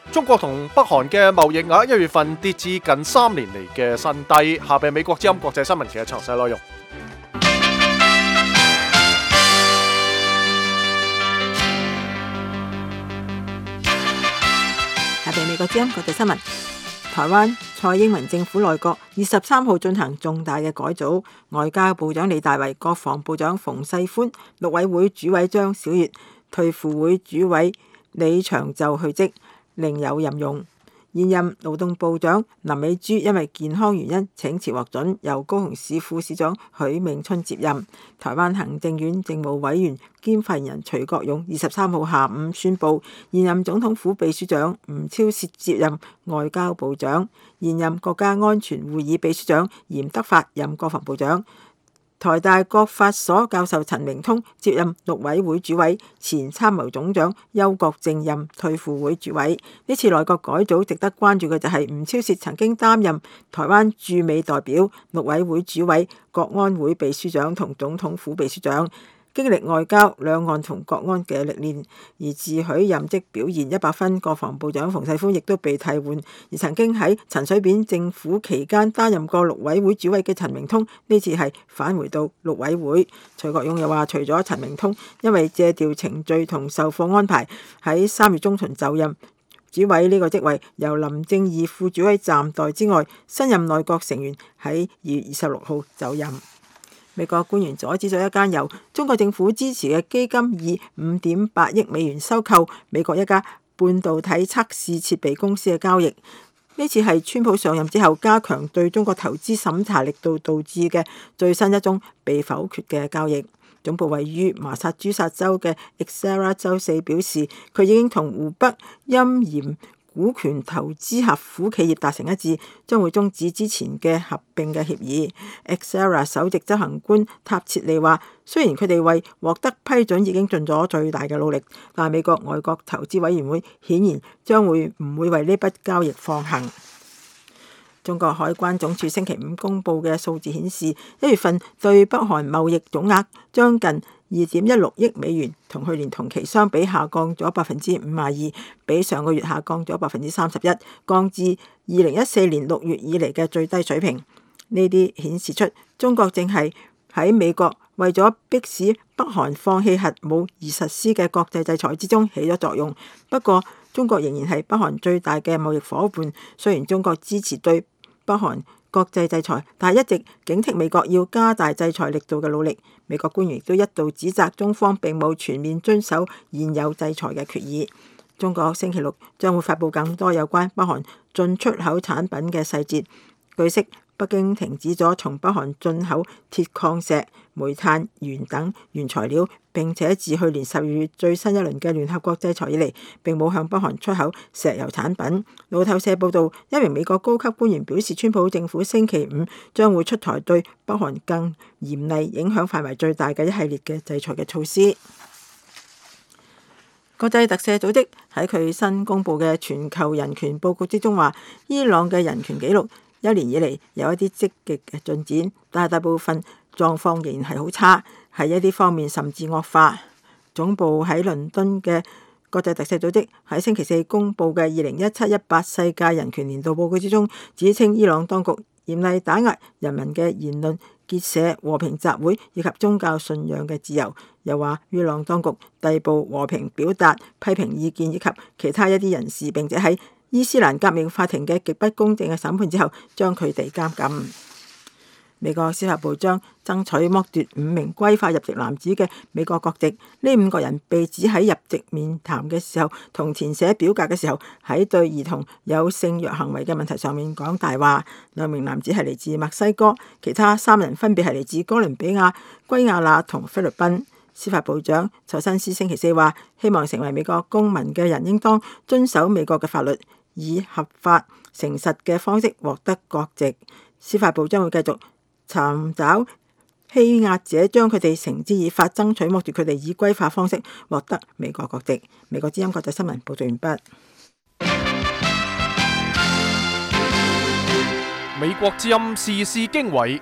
中國同北韓嘅貿易額1月份跌至近3年嚟嘅新低。下邊美國之音國際新聞嘅詳細內容。下邊美國之音國際新聞。台灣蔡英文政府內閣23號進行重大嘅改組，外交部長李大維、國防部長馮世寬、陸委會主委張曉月、退輔會主委李長就去職，另有任用。現任勞動部長林美珠因為健康原因請辭獲准，由高雄市副市長許銘春接任。台灣行政院政務委員兼發言人徐國勇23號下午宣布，現任總統府秘書長吳釗燮接任外交部長，現任國家安全會議秘書長嚴德發任國防部長。台大國法所教授陳明通接任陸委會主委，前參謀總長邱國正任退輔會主委。呢次內閣改組值得關注嘅就係吳釗燮曾經擔任台灣駐美代表、陸委會主委、國安會秘書長同總統府秘書長，經歷外交、兩岸同國安嘅歷練，而自詡任職表現100分。國防部長馮世寬亦都被替換，而曾經喺陳水扁政府期間擔任過陸委會主委嘅陳明通，呢次係返回到陸委會。徐國勇又話，除咗陳明通因為借調程序同授課安排喺3月中旬就任主委呢個職位，由林正義副主委暫代之外，新任內閣成員喺2月26號就任。美國官員阻止咗一間由中國政府支持嘅基金以$5.8億收購美國一家半導體測試設備公司嘅交易。呢次係川普上任之後加強對中國投資審查力度導致嘅最新一宗被否決嘅交易。總部位於麻薩諸塞州嘅 Exera 周四表示，佢已經同湖北鑫鹽股權投資合夥企業達成一致，將會終止之前嘅合併嘅協議。Exera 首席執行官塔切利話，雖然佢哋為獲得批准已經盡咗最大嘅努力，但係美國外國投資委員會顯然將會唔會為呢筆交易放行。中國海關總署星期五公佈嘅數字顯示，1月份對北韓貿易總額將近$2.16億，同去年同期相比下降咗52%，比上個月下降咗31%，降至2014年6月以嚟嘅最低水平。呢啲顯示出中國正係喺美國為咗迫使北韓放棄核武而實施嘅國際制裁之中起咗作用。不過，中國仍然係北韓最大嘅貿易夥伴，雖然中國支持對北韓國際制裁，但係一直警惕美國要加大制裁力度嘅努力。美國官員亦都一度指責中方並冇全面遵守現有制裁嘅決議。中國星期六將會發布更多有關北韓進出口產品嘅細節。據悉，北京停止咗從北韓進口鐵礦石、煤炭、鉛等原材料，並且自去年12月最新一輪嘅聯合國制裁以嚟，並冇向北韓出口石油產品。路透社報導，一名美國高級官員表示，川普政府星期五將會出台對北韓更嚴厲、影響範圍最大嘅一系列嘅制裁嘅措施。國際特赦組織喺佢新公佈嘅全球人權報告之中話，伊朗嘅人權紀錄一年以嚟有一啲積極嘅進展，但係大部分狀況仍然係好差，喺一啲方面甚至惡化。總部喺倫敦嘅國際特赦組織喺星期四公佈嘅2017-18世界人權年度報告之中，指稱伊朗當局嚴厲打壓人民嘅言論、結社、和平集會以及宗教信仰嘅自由，又話伊朗當局逮捕和平表達批評意見以及其他一啲人士，並且喺伊斯蘭革命法庭嘅極不公正嘅審判之後，將佢哋監禁。美國司法部將爭取剝奪5名歸化入籍男子嘅美國國籍。呢5個人被指喺入籍面談嘅時候同填寫表格嘅時候，喺對兒童有性虐行為嘅問題上面講大話。2名男子係嚟自墨西哥，其他3人分別係嚟自哥倫比亞、圭亞那同菲律賓。司法部長蔡新思星期四話，希望成為美國公民嘅人應當遵守美國嘅法律，以合法誠實嘅方式獲得國籍。司法部將會繼續尋找欺壓者，將佢哋繩之以法，爭取剝奪佢哋以歸化方式獲得美國國籍。美國之音國際新聞報道完畢。美國之音時事經緯。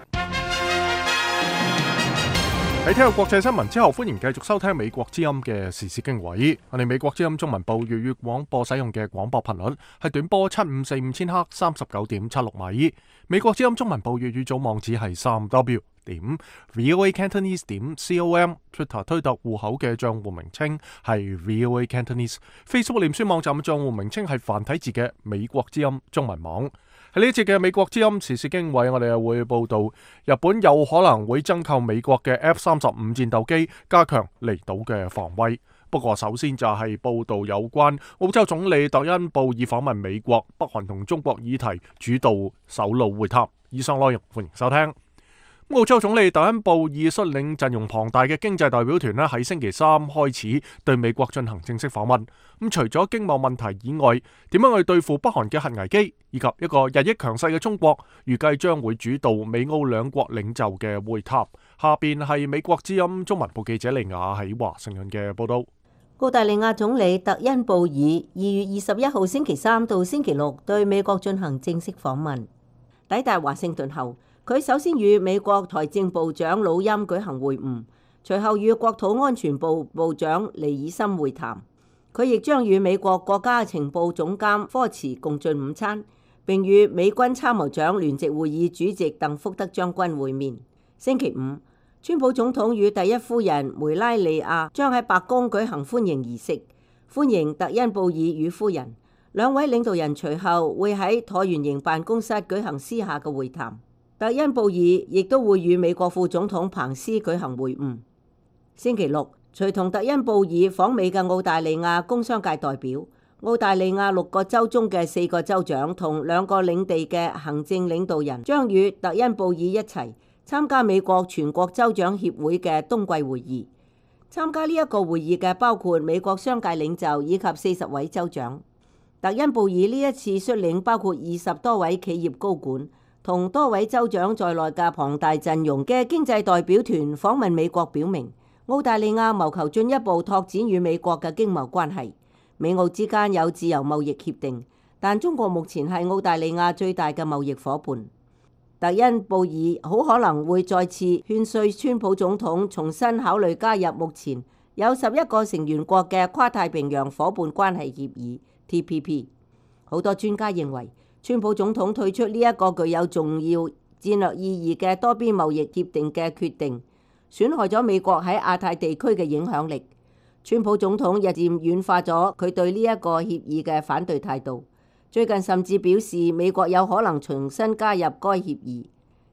喺聽過國際新聞之後，歡迎繼續收聽美國之音嘅時事經緯。我哋美國之音中文部粵語廣播使用嘅廣播頻率係短波7545千赫39.76米。美國之音中文部粵語組網址係3w.voacantonese.com。Twitter 推特戶口嘅賬戶名稱係 VOA Cantonese。Facebook 臉書網站嘅賬戶名稱係繁體字嘅美國之音中文網。喺呢一節嘅美國之音時事經緯，我哋又會報道日本有可能會增購美國嘅 F-35戰鬥機，加強離島嘅防衛。不過首先就係報道有關澳洲總理特恩布爾訪問美國、北韓同中國議題主導首腦會談。以上內容歡迎收聽。澳洲總理特恩布爾率領陣容龐大嘅經濟代表團咧，喺星期三開始對美國進行正式訪問。除咗經貿問題以外，點樣去對付北韓嘅核危機，以及一個日益強勢嘅中國，預計將會主導美澳兩國領袖嘅會談。下邊係美國之音中文部記者利亞喺華盛頓嘅報道。澳大利亞總理特恩布爾2月21號星期三到星期六對美國進行正式訪問。抵達華盛頓後，佢首先與美國財政部長魯欽舉行會晤，隨後與國土安全部部長尼爾森會談。佢亦將與美國國家情報總監科茨共進午餐，並與美軍參謀長聯席會議主席鄧福德將軍會面。星期五，川普總統與第一夫人梅拉利亞將喺白宮舉行歡迎儀式，歡迎特恩布爾與夫人。兩位領導人隨後會喺橢圓形辦公室舉行私下嘅會談。特恩布爾亦都會與美國副總統彭斯舉行會晤。星期六，隨同特恩布爾訪美嘅澳大利亞工商界代表、澳大利亞6個州中嘅4個州長同2個領地嘅行政領導人將與特恩布爾一齊參加美國全國州長協會嘅冬季會議。參加呢一個會議嘅包括美國商界領袖以及40位州長。特恩布爾呢一次率領包括20多位企業高管同多位州長在內嘅龐大陣容嘅經濟代表團訪問美國，表明澳大利亞謀求進一步拓展與美國嘅經貿關係。美澳之間有自由貿易協定，但中國目前係澳大利亞最大嘅貿易夥伴。特恩布爾好可能會再次勸說川普總統重新考慮加入目前有11個成員國嘅跨太平洋夥伴關係協議 TPP。好多專家認為，川普總統退出呢一個具有重要戰略意義嘅多邊貿易協定嘅決定，損害咗美國喺亞太地區嘅影響力。川普總統日漸軟化咗佢對呢一個協議嘅反對態度，最近甚至表示美國有可能重新加入該協議。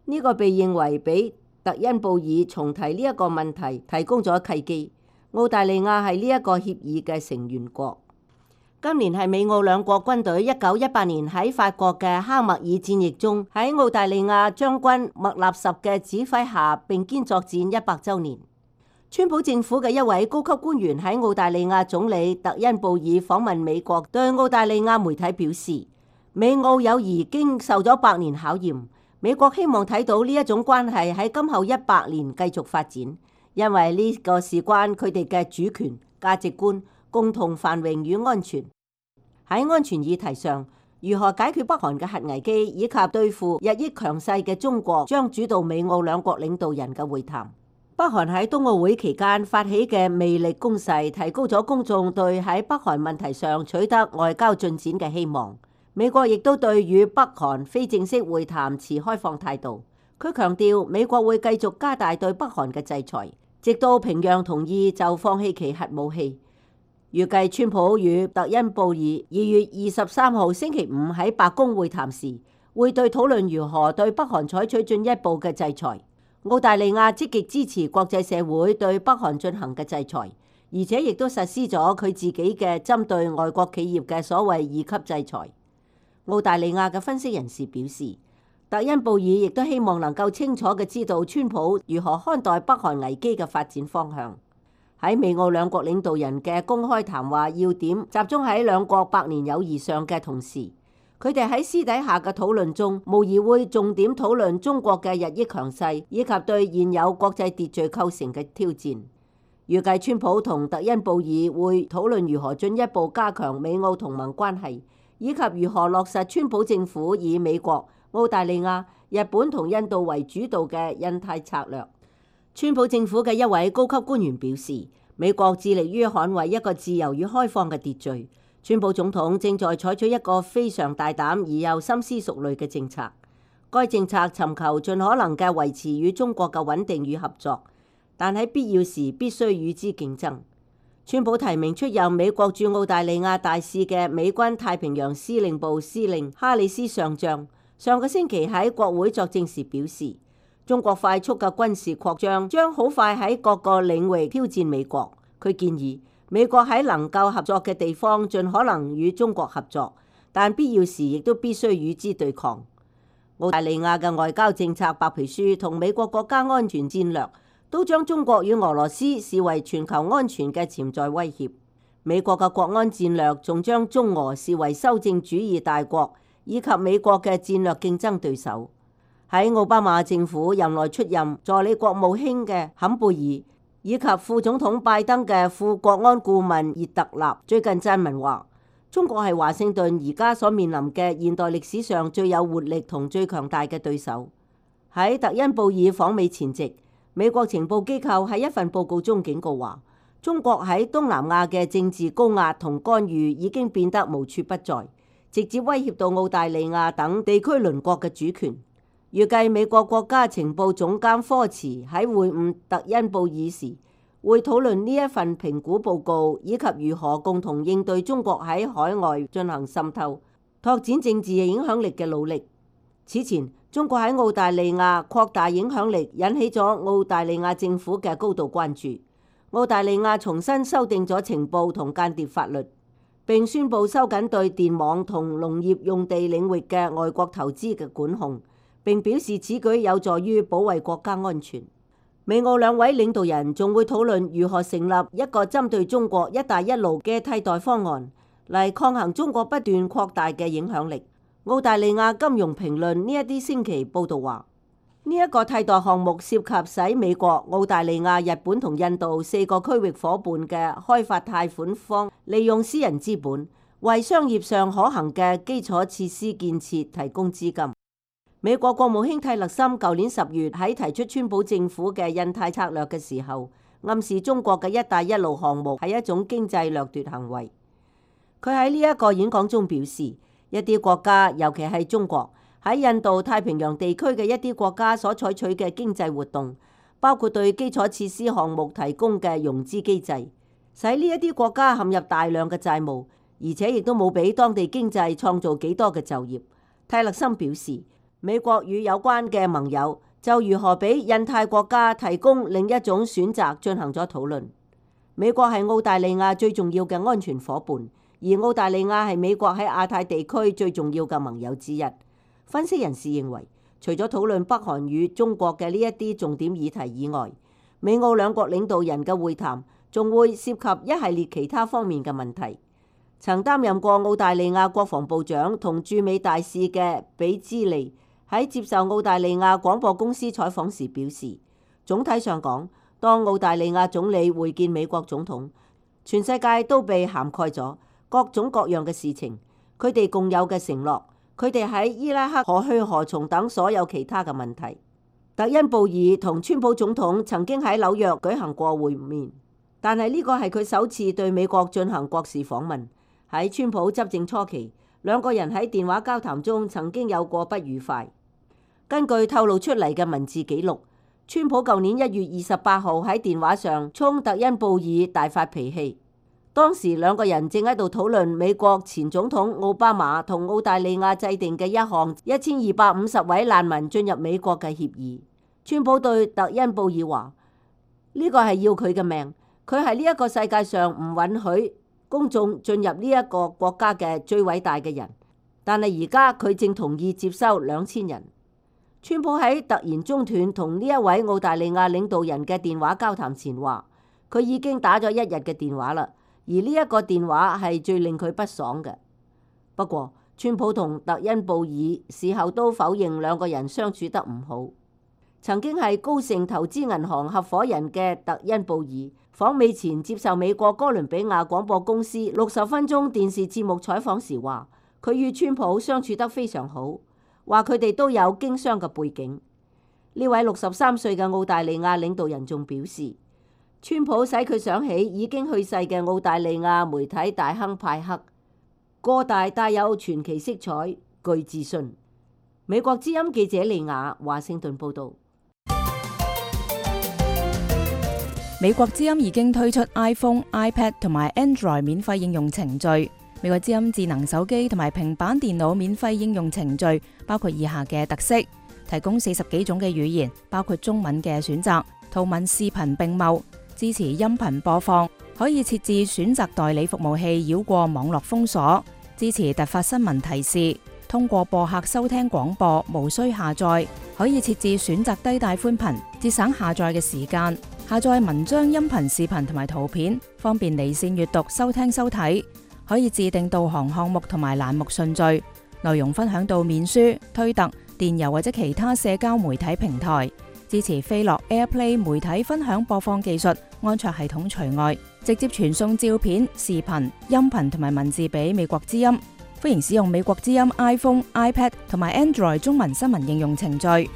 呢個被認為俾特恩布爾重提呢一個問題提供咗契機。澳大利亞係呢一個協議嘅成員國。今年係美澳兩國軍隊1918年喺法國嘅哈默爾戰役中，喺澳大利亞將軍麥納什嘅指揮下並肩作戰100週年。川普政府嘅一位高級官員喺澳大利亞總理特恩布爾訪問美國，對澳大利亞媒體表示，美澳友誼經受咗100年考驗，美國希望睇到呢一種關係喺今後100年繼續發展，因為呢個事關佢哋嘅主權、價值觀、共同繁榮與安全。喺安全議題上，如何解決北韓嘅核危機，以及對付日益強勢嘅中國，將主導美澳兩國領導人嘅會談。北韓喺冬奧會期間發起嘅魅力攻勢，提高咗公眾對喺北韓問題上取得外交進展嘅希望。美國亦都對與北韓非正式會談持開放態度。佢強調美國會繼續加大對北韓嘅制裁，直到平壤同意就放棄其核武器。預計川普與特恩布爾2月23號星期五喺白宮會談時，會對討論如何對北韓採取進一步嘅制裁。澳大利亞積極支持國際社會對北韓進行嘅制裁，而且亦都實施咗佢自己嘅針對外國企業嘅所謂2級制裁。澳大利亞嘅分析人士表示，特恩布爾亦都希望能夠清楚嘅知道川普如何看待北韓危機嘅發展方向。喺美澳兩國領導人嘅公開談話要點集中喺兩國百年友誼上嘅同時，佢哋喺私底下嘅討論中，無疑會重點討論中國嘅日益強勢以及對現有國際秩序構成嘅挑戰。預計川普同特恩布爾會討論如何進一步加強美澳同盟關係，以及如何落實川普政府以美國、澳大利亞、日本同印度為主導嘅印太策略。川普政府嘅一位高級官員表示，美國致力於捍衛一個自由與開放嘅秩序。川普總統正在採取一個非常大膽而又深思熟慮嘅政策。該政策尋求盡可能嘅維持與中國嘅穩定與合作，但喺必要時必須與之競爭。川普提名出任美國駐澳大利亞大使嘅美軍太平洋司令部司令哈里斯上將，上個星期喺國會作證時表示，中國快速嘅軍事擴張將好快喺各個領域挑戰美國。佢建議美國喺能夠合作嘅地方盡可能與中國合作，但必要時亦都必須與之對抗。澳大利亞嘅外交政策白皮書同美國國家安全戰略都將中國與俄羅斯視為全球安全嘅潛在威脅。美國嘅國安戰略仲將中俄視為修正主義大國以及美國嘅戰略競爭對手。喺奧巴馬政府任內出任助理國務卿嘅坎貝爾以及副總統拜登嘅副國安顧問熱特納最近撰文話，中國係華盛頓而家所面臨嘅現代歷史上最有活力同最強大嘅對手。喺特恩布爾訪美前夕，美國情報機構喺一份報告中警告話，中國喺東南亞嘅政治高壓同干預已經變得無處不在，直接威脅到澳大利亞等地區鄰國嘅主權。預計美國國家情報總監科茨喺會晤特恩布爾時，會討論呢一份評估報告，以及如何共同應對中國喺海外進行滲透、拓展政治影響力嘅努力。此前，中國喺澳大利亞擴大影響力，引起咗澳大利亞政府嘅高度關注。澳大利亞重新修訂咗情報同間諜法律，並宣布收緊對電網同農業用地領域嘅外國投資嘅管控，並表示此舉有助於保衛國家安全。美澳兩位領導人仲會討論如何成立一個針對中國一帶一路嘅替代方案，嚟抗衡中國不斷擴大嘅影響力。澳大利亞金融評論呢一啲星期報導話，呢一個替代項目涉及使美國、澳大利亞、日本同印度4個區域夥伴嘅開發貸款方利用私人資本，為商業上可行嘅基礎設施建設提供資金。美國國務卿蒂勒森舊年10月喺提出川普政府嘅印太策略嘅時候，暗示中國嘅一帶一路項目係一種經濟掠奪行為。佢喺呢一個演講中表示，一啲國家，尤其係中國，喺印度太平洋地區嘅一啲國家所採取嘅經濟活動，包括對基礎設施項目提供嘅融資機制，使呢一啲國家陷入大量嘅債務，而且亦都冇俾當地經濟創造幾多嘅就業。蒂勒森表示，美國與有關嘅盟友就如何俾印太國家提供另一種選擇進行咗討論。美國係澳大利亞最重要嘅安全夥伴，而澳大利亞係美國喺亞太地區最重要嘅盟友之一。分析人士認為，除咗討論北韓與中國嘅呢一啲重點議題以外，美澳兩國領導人嘅會談仲會涉及一系列其他方面嘅問題。曾擔任過澳大利亞國防部長同駐美大使嘅比茲利喺接受澳大利亞廣播公司採訪時表示，總體上講，當澳大利亞總理會見美國總統，全世界都被涵蓋咗各種各樣嘅事情，佢哋共有嘅承諾，佢哋喺伊拉克何去何從等所有其他嘅問題。特恩布爾同川普總統曾經喺紐約舉行過會面，但係呢個係佢首次對美國進行國事訪問。喺川普執政初期，兩個人喺電話交談中曾經有過不愉快。根據透露出嚟嘅文字記錄，川普舊年1月28號喺電話上衝特恩布爾大發脾氣。當時兩個人正喺度討論美國前總統奧巴馬同澳大利亞制定嘅一項1250位難民進入美國嘅協議。川普對特恩布爾話：呢個係要佢嘅命，佢係呢一個世界上唔允許公眾進入呢一個國家嘅最偉大嘅人，但係而家佢正同意接收2000人。川普喺突然中斷同呢一位澳大利亞領導人嘅電話交談前話，佢已經打咗1日嘅電話啦，而呢一個電話係最令佢不爽嘅。不過，川普同特恩布爾事後都否認兩個人相處得唔好。曾經係高盛投資銀行合夥人嘅特恩布爾訪美前接受美國哥倫比亞廣播公司60分鐘電視節目採訪時話，佢與川普相處得非常好，話佢哋都有經商嘅背景。呢位63歲嘅澳大利亞領導人仲表示，川普使佢想起已經去世嘅澳大利亞媒體大亨派克，個大帶有傳奇色彩，具自信。美國之音記者利亞華盛頓報道。美國之音已經推出 iPhone、iPad 同埋 Android 免費應用程序。美國之音智能手機同埋平板電腦免費應用程序包括以下嘅特色：提供40幾種嘅語言，包括中文嘅選擇，圖文視頻並茂，支持音頻播放，可以設置選擇代理服務器繞過網絡封鎖，支持突發新聞提示，通過播客收聽廣播，無需下載，可以設置選擇低帶寬頻，節省下載嘅時間，下載文章、音頻、視頻同埋圖片，方便離線閱讀、收聽收睇，可以自定導航項目同埋欄目順序，內容分享到面書、推特、電郵或者其他社交媒體平台，支持飛樂 AirPlay 媒體分享播放技術，安卓系統除外，直接傳送照片、視頻、音頻同埋文字俾美國之音。歡迎使用美國之音 iPhone、iPad 同埋 Android 中文新聞應用程序。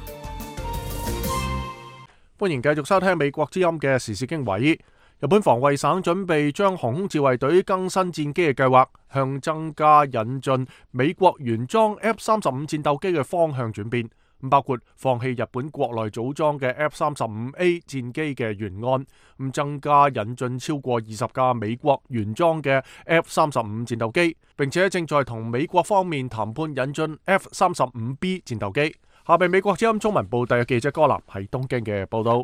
歡迎繼續收聽美國之音嘅時事經緯。日本防衛省準備將航空自衛隊更新戰機嘅計劃向增加引進美國原裝 F-35戰鬥機嘅方向轉變，包括放棄日本國內組裝嘅 F-35A 戰機嘅原案，增加引進超過20架美國原裝嘅 F-35戰鬥機，並且正在同美國方面談判引進 F-35B 戰鬥機。下邊美國之音中文部第嘅記者柯南喺東京嘅報道。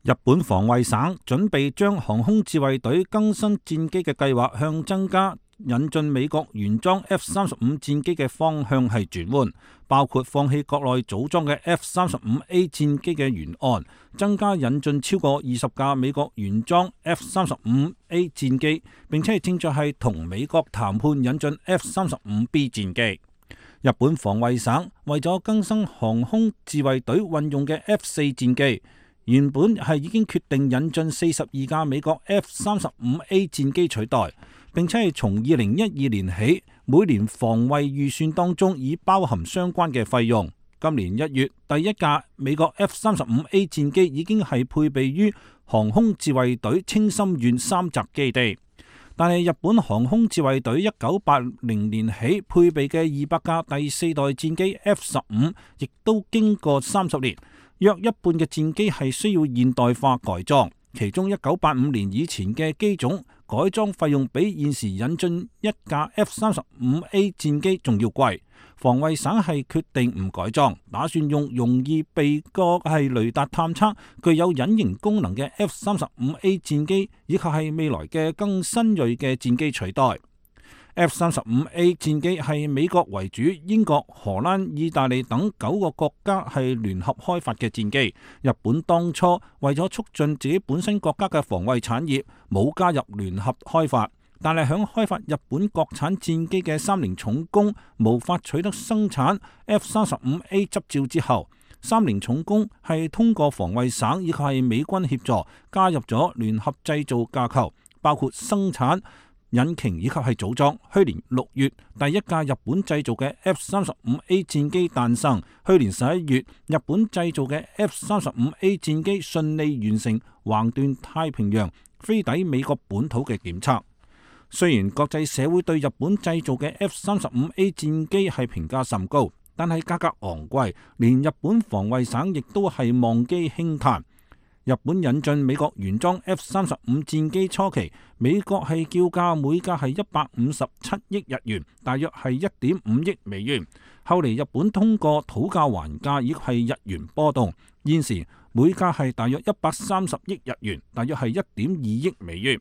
日本防衛省準備將航空自衛隊更新戰機嘅計劃向增加引進美國原裝 F-35戰機嘅方向係轉換，包括放棄國內組裝嘅 F-35A 戰機嘅原案，增加引進超過20架美國原裝 F-35A 戰機，並且正在係同美國談判引進 F-35B 戰機。日本防衛省為咗更新航空自衛隊運用嘅 F-4戰機，原本係已經決定引進42架美國 F-35A 戰機取代，並且係從2012年起，每年防衛預算當中已包含相關嘅費用。今年1月，第一架美國 F-35A 戰機已經係配備於航空自衛隊青森縣三澤基地。但係日本航空自衛隊1980年起配備嘅200架第4代戰機 F-15，亦都經過30年，約一半嘅戰機係需要現代化改裝，其中1985年以前嘅機種改裝費用比現時引進一架 F-35A 戰機仲要貴。防衛省係決定唔改裝，打算用容易被過係雷達探測、具有隱形功能嘅 F-35A 戰機，以及係未來嘅更新鋭嘅戰機取代。F-35A 戰機係美國為主，英國、荷蘭、意大利等9個國家係聯合開發嘅戰機。日本當初為咗促進自己本身國家嘅防衛產業，冇加入聯合開發。但係響開發日本國產戰機嘅三菱重工無法取得生產 F-35A 執照之後，三菱重工係通過防衛省以及係美軍協助加入咗聯合製造架構，包括生產、引擎以及係組裝。去年6月，第一架日本製造嘅 F-35A 戰機誕生。去年11月，日本製造嘅 F-35A 戰機順利完成橫斷太平洋飛抵美國本土嘅檢測。雖然國際社會對日本製造嘅 F-35A 戰機係評價甚高，但係價格昂貴，連日本防衛省亦都係望機輕嘆。日本引進美國原裝 F-35戰機初期，美國係叫價每架係157億日元，大約係1.5億美元。後嚟日本通過討價還價，亦係日元波動，現時每架係大約130億日元，大約係1.2億美元。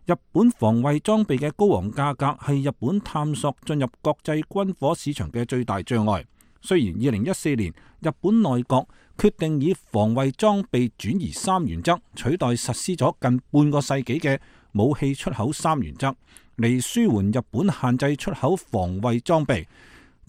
日本防衛裝備嘅高昂價格係日本探索進入國際軍火市場嘅最大障礙。雖然2014年日本內閣決定以防衛裝備轉移三原則取代實施咗近半個世紀嘅武器出口三原則，嚟舒緩日本限制出口防衛裝備。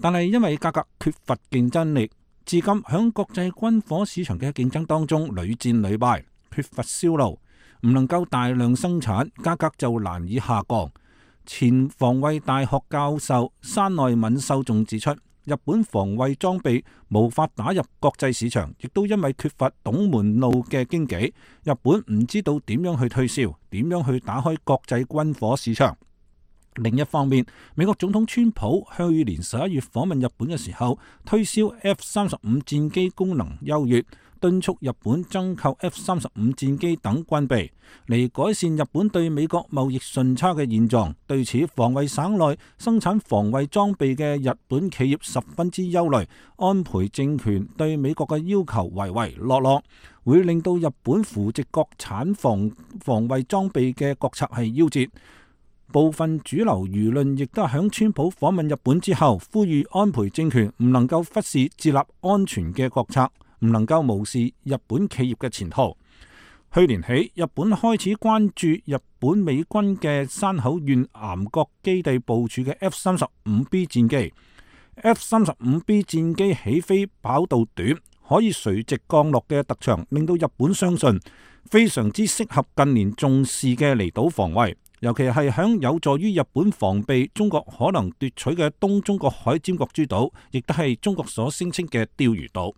但係因為價格缺乏競爭力，至今響國際軍火市場嘅競爭當中屢戰屢敗，缺乏銷路，唔能夠大量生產，價格就難以下降。前防衛大學教授山內敏秀仲指出，日本防衛裝備無法打入國際市場，亦都因為缺乏懂門路嘅經紀，日本唔知道點樣去推銷，點樣去打開國際軍火市場。另一方面，美國總統川普去年11月訪問日本嘅時候，推銷 F-35戰機功能優越，敦促日本增購 F-35戰機等軍備，嚟改善日本對美國貿易順差嘅現狀。對此，防衛省內生產防衛裝備嘅日本企業十分之憂慮，安倍政權對美國嘅要求唯唯諾諾，會令到日本扶植國產防衛裝備嘅國策係夭折。部分主流輿論亦都係響川普訪問日本之後，呼籲安倍政權唔能夠忽視自立安全嘅國策，唔能夠無視日本企業嘅前途。去年起，日本開始關注日本美軍嘅山口縣岩國基地部署嘅 F-35B 戰機。F-35B 戰機起飛跑道短，可以垂直降落嘅特長，令到日本相信非常之適合近年重視嘅離島防衛。尤其係響有助於日本防備中國可能奪取嘅東中國海尖閣諸島，亦都係中國所聲稱嘅釣魚島。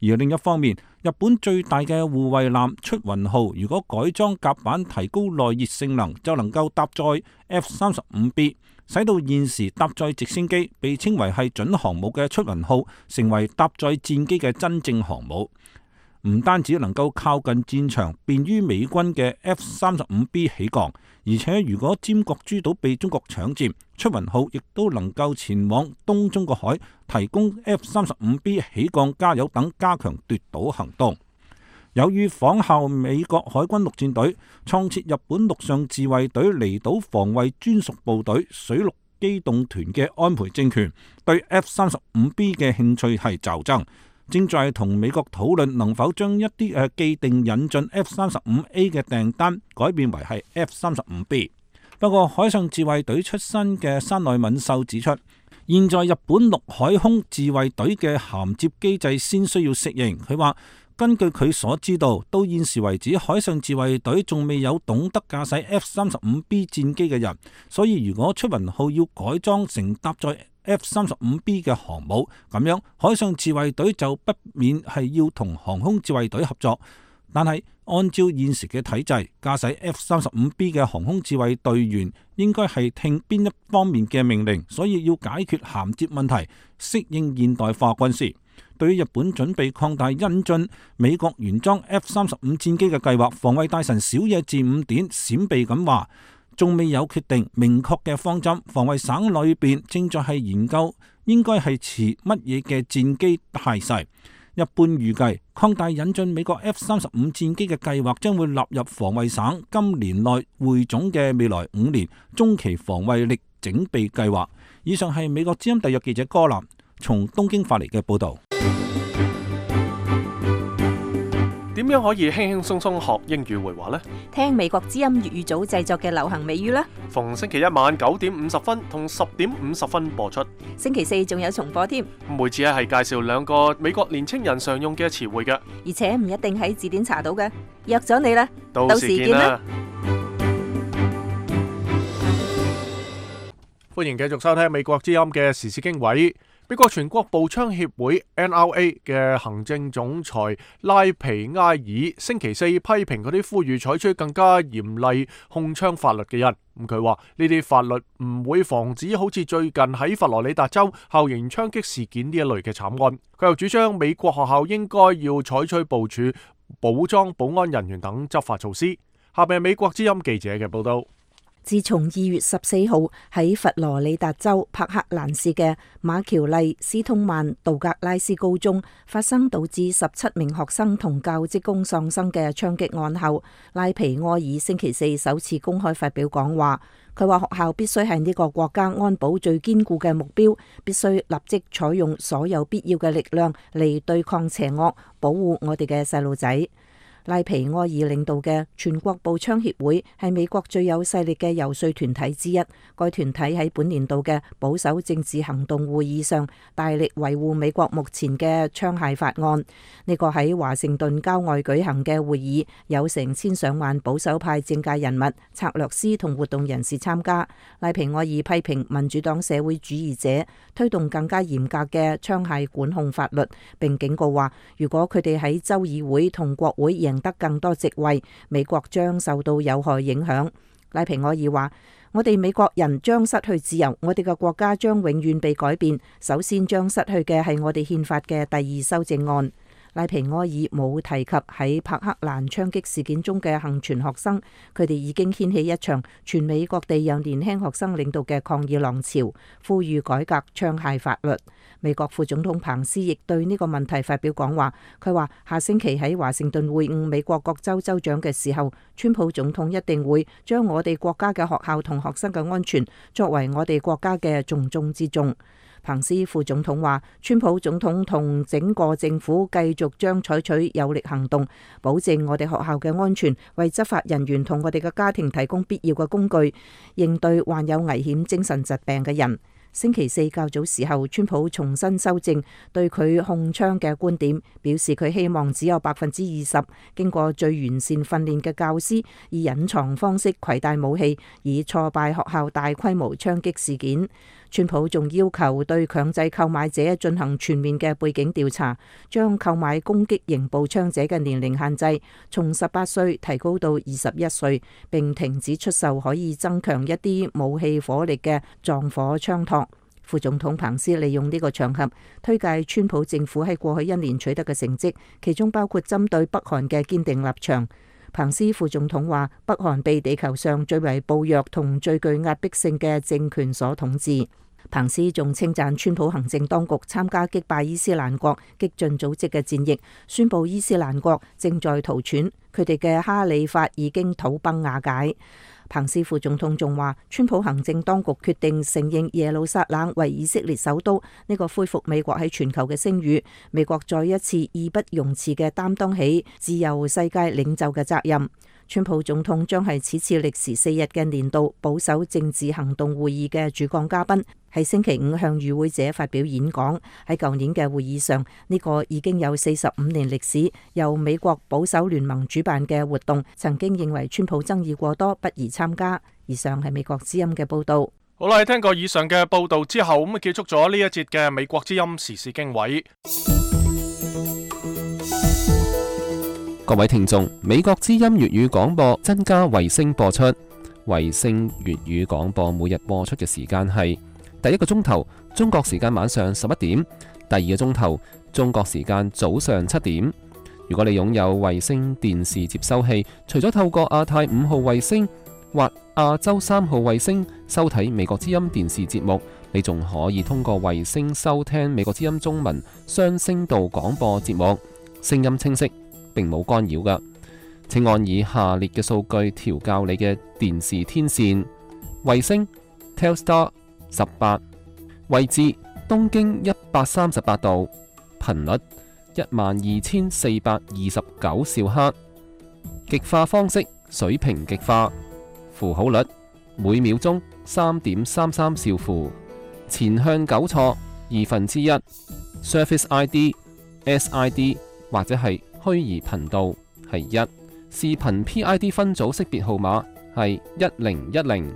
而另一方面，日本最大嘅護衛艦出雲號，如果改裝甲板提高耐熱性能，就能夠搭載 F-35B， 使到現時搭載直升機被稱為係準航母嘅出雲號，成為搭載戰機嘅真正航母。唔單止能夠靠近戰場，便於美軍嘅 F-35B 起降，而且如果尖閣諸島被中國搶佔，出雲號亦都能夠前往東中國海，提供 F-35B 起降、加油等加強奪島行動。有意仿效美國海軍陸戰隊創設日本陸上自衛隊離島防衛專屬部隊水陸機動團嘅安倍政權，對 F-35B 嘅興趣係驟增。正在同美國討論能否將一啲既定引進 F-35A 嘅訂單改變為係 F-35B。不過海上自衛隊出身嘅山內敏秀指出，現在日本陸海空自衛隊嘅銜接機制先需要適應。佢話根據佢所知道，到現時為止海上自衛隊仲未有懂得駕駛 F-35B 戰機嘅人，所以如果出雲號要改裝成搭載F-35B 嘅航母，咁樣海上自衛隊就不免係要同航空自衛隊合作。但係按照現時嘅體制，駕駛 F-35B 嘅航空自衛隊員應該係聽邊一方面嘅命令，所以要解決銜接問題，適應現代化軍事。對於日本準備擴大引進美國原裝 F-35戰機嘅計劃，防衛大臣小野寺五典閃避咁話，仲未有決定明確嘅方針，防衛省裏邊正在係研究應該係持乜嘢嘅戰機態勢。一般預計擴大引進美國 F-35戰機嘅計劃將會納入防衛省今年內匯總嘅未來5年中期防衛力整備計劃。以上係美國之音特約記者柯南從東京發嚟嘅報道。點樣可以輕輕鬆鬆學英語會話呢？聽美國之音粵語組製作嘅流行美語啦。逢星期一晚9點50分同10點50分播出。星期四仲有重播添。每次係介紹2個美國年青人常用嘅詞彙嘅，而且唔一定喺字典查到嘅。約咗你啦，到時見啦。歡迎繼續收聽美國之音嘅時事經緯。美國全國步槍協會 NRA 嘅行政總裁拉皮埃爾星期四批評嗰啲呼籲採取更加嚴厲控槍法律嘅人。佢話呢啲法律唔會防止好似最近喺佛羅里達州校園槍擊事件呢一類嘅慘案。佢又主張美國學校應該要採取部署武裝保安人員等執法措施。下邊係美國之音記者嘅報道。自從2月14號喺佛羅里達州帕克蘭市嘅馬喬麗斯通曼道格拉斯高中發生導致17名學生同教職工喪生嘅槍擊案後，拉皮埃爾星期四首次公開發表講話。佢話學校必須係呢個國家安保最堅固嘅目標，必須立即採用所有必要嘅力量嚟對抗邪惡，保護我哋嘅細路仔。賴皮埃爾領導嘅全國步槍協會係美國最有勢力嘅遊說團體之一。該團體喺本年度嘅保守政治行動會議上，大力維護美國目前嘅槍械法案。呢個喺華盛頓郊外舉行嘅會議，有成千上萬保守派政界人物、策略師同活動人士參加。賴皮埃爾批評民主黨社會主義者推動更加嚴格嘅槍械管控法律，並警告話，如果佢哋喺州議會同國會贏得更多席位，美國將受到有害影響。賴皮埃爾話：我哋美國人將失去自由，我哋嘅國家將永遠被改變。首先將失去嘅係我哋憲法嘅第2修正案。賴皮埃爾冇提及喺柏克蘭槍擊事件中嘅幸存學生，佢哋已經掀起一場全美各地由年輕學生領導嘅抗議浪潮，呼籲改革槍械法律。美國副總統彭斯亦對呢個問題發表講話，佢話下星期喺華盛頓會晤美國各州州長嘅時候，川普總統一定會將我哋國家嘅學校同學生嘅安全作為我哋國家嘅重中之重。彭斯副總統話，川普總統同整個政府繼續將採取有力行動，保證我哋學校嘅安全，為執法人員同我哋嘅家庭提供必要嘅工具，應對患有危險精神疾病嘅人。星期四較早時候，川普重新修正對佢控槍嘅觀點，表示佢希望只有20%經過最完善訓練嘅教師以隱藏方式攜帶武器，以挫敗學校大規模槍擊事件。川普仲要求對強制購買者進行全面嘅背景調查，將購買攻擊型步槍者嘅年齡限制從18歲提高到21歲，並停止出售可以增強一啲武器火力嘅撞火槍托。副總統彭斯利用呢個場合推介川普政府喺過去1年取得嘅成績，其中包括針對北韓嘅堅定立場。彭斯副總統話，北韓被地球上最為暴虐同最具壓迫性嘅政權所統治。彭斯仲稱讚川普行政當局參加擊敗伊斯蘭國激進組織嘅戰役，宣布伊斯蘭國正在逃竄，佢哋嘅哈里發已經土崩瓦解。彭斯副總統仲話，川普行政當局決定承認耶路撒冷為以色列首都，呢個恢復美國喺全球嘅聲譽。美國再一次義不容辭嘅擔當起自由世界領袖嘅責任。川普總統將係此次歷時4日嘅年度保守政治行動會議嘅主講嘉賓，喺星期五向與會者發表演講。喺舊年嘅會議上，呢個已經有45年歷史，由美國保守聯盟主辦嘅活動，曾經認為川普爭議過多，不宜參加。以上係美國之音嘅報道。好啦，聽過以上嘅報道之後，咁結束咗呢一節嘅美國之音時事經緯。各位聽眾，美國之音粵語廣播增加衛星播出。衛星粵語廣播每日播出嘅時間係第一個鐘頭中國時間晚上11點，第二個鐘頭中國時間早上7點。如果你擁有衛星電視接收器，除咗透過亞太5號衛星或亞洲3號衛星收睇美國之音電視節目，你仲可以通過衛星收聽美國之音中文雙聲道廣播節目，聲音清晰，並冇干擾㗎。請按以下列嘅數據調校你嘅電視天線：衛星 Telstar 18，位置東經138度，頻率12429兆赫，極化方式水平極化，符號率每秒鐘3.33兆符，前向糾錯1/2， Surface ID、SID 或者係虛擬頻道係1，視頻 PID 分組識別號碼係1010，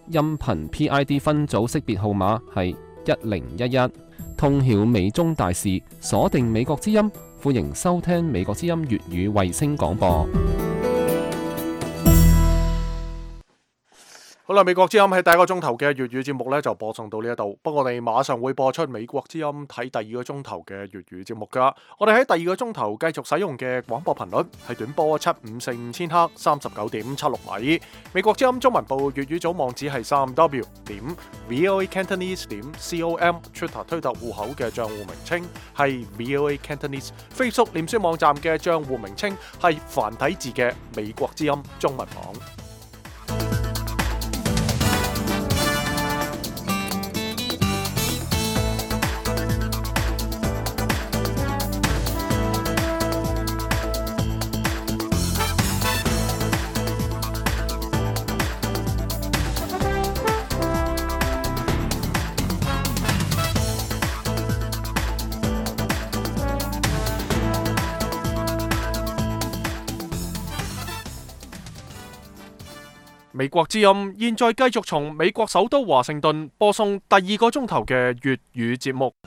音頻 PID 分組識別號碼係1011。通曉美中大事，鎖定美國之音，歡迎收聽美國之音粵語衛星廣播。好啦，美國之音喺第一個鐘頭嘅粵語節目呢就播送到呢一度，不過我哋馬上會播出美國之音睇第二個鐘頭嘅粵語節目噶。我哋喺第二個鐘頭繼續使用嘅廣播頻率係短波7545千赫39.76米。美國之音中文部粵語組網址係3w.voacantonese.com，Twitter 推特戶口嘅賬戶名稱係 voacantonese，Facebook 臉書網站嘅賬戶名稱係繁體字嘅美國之音中文網。美國之音現在繼續從美國首都華盛頓播送第2個鐘頭嘅粵語節目。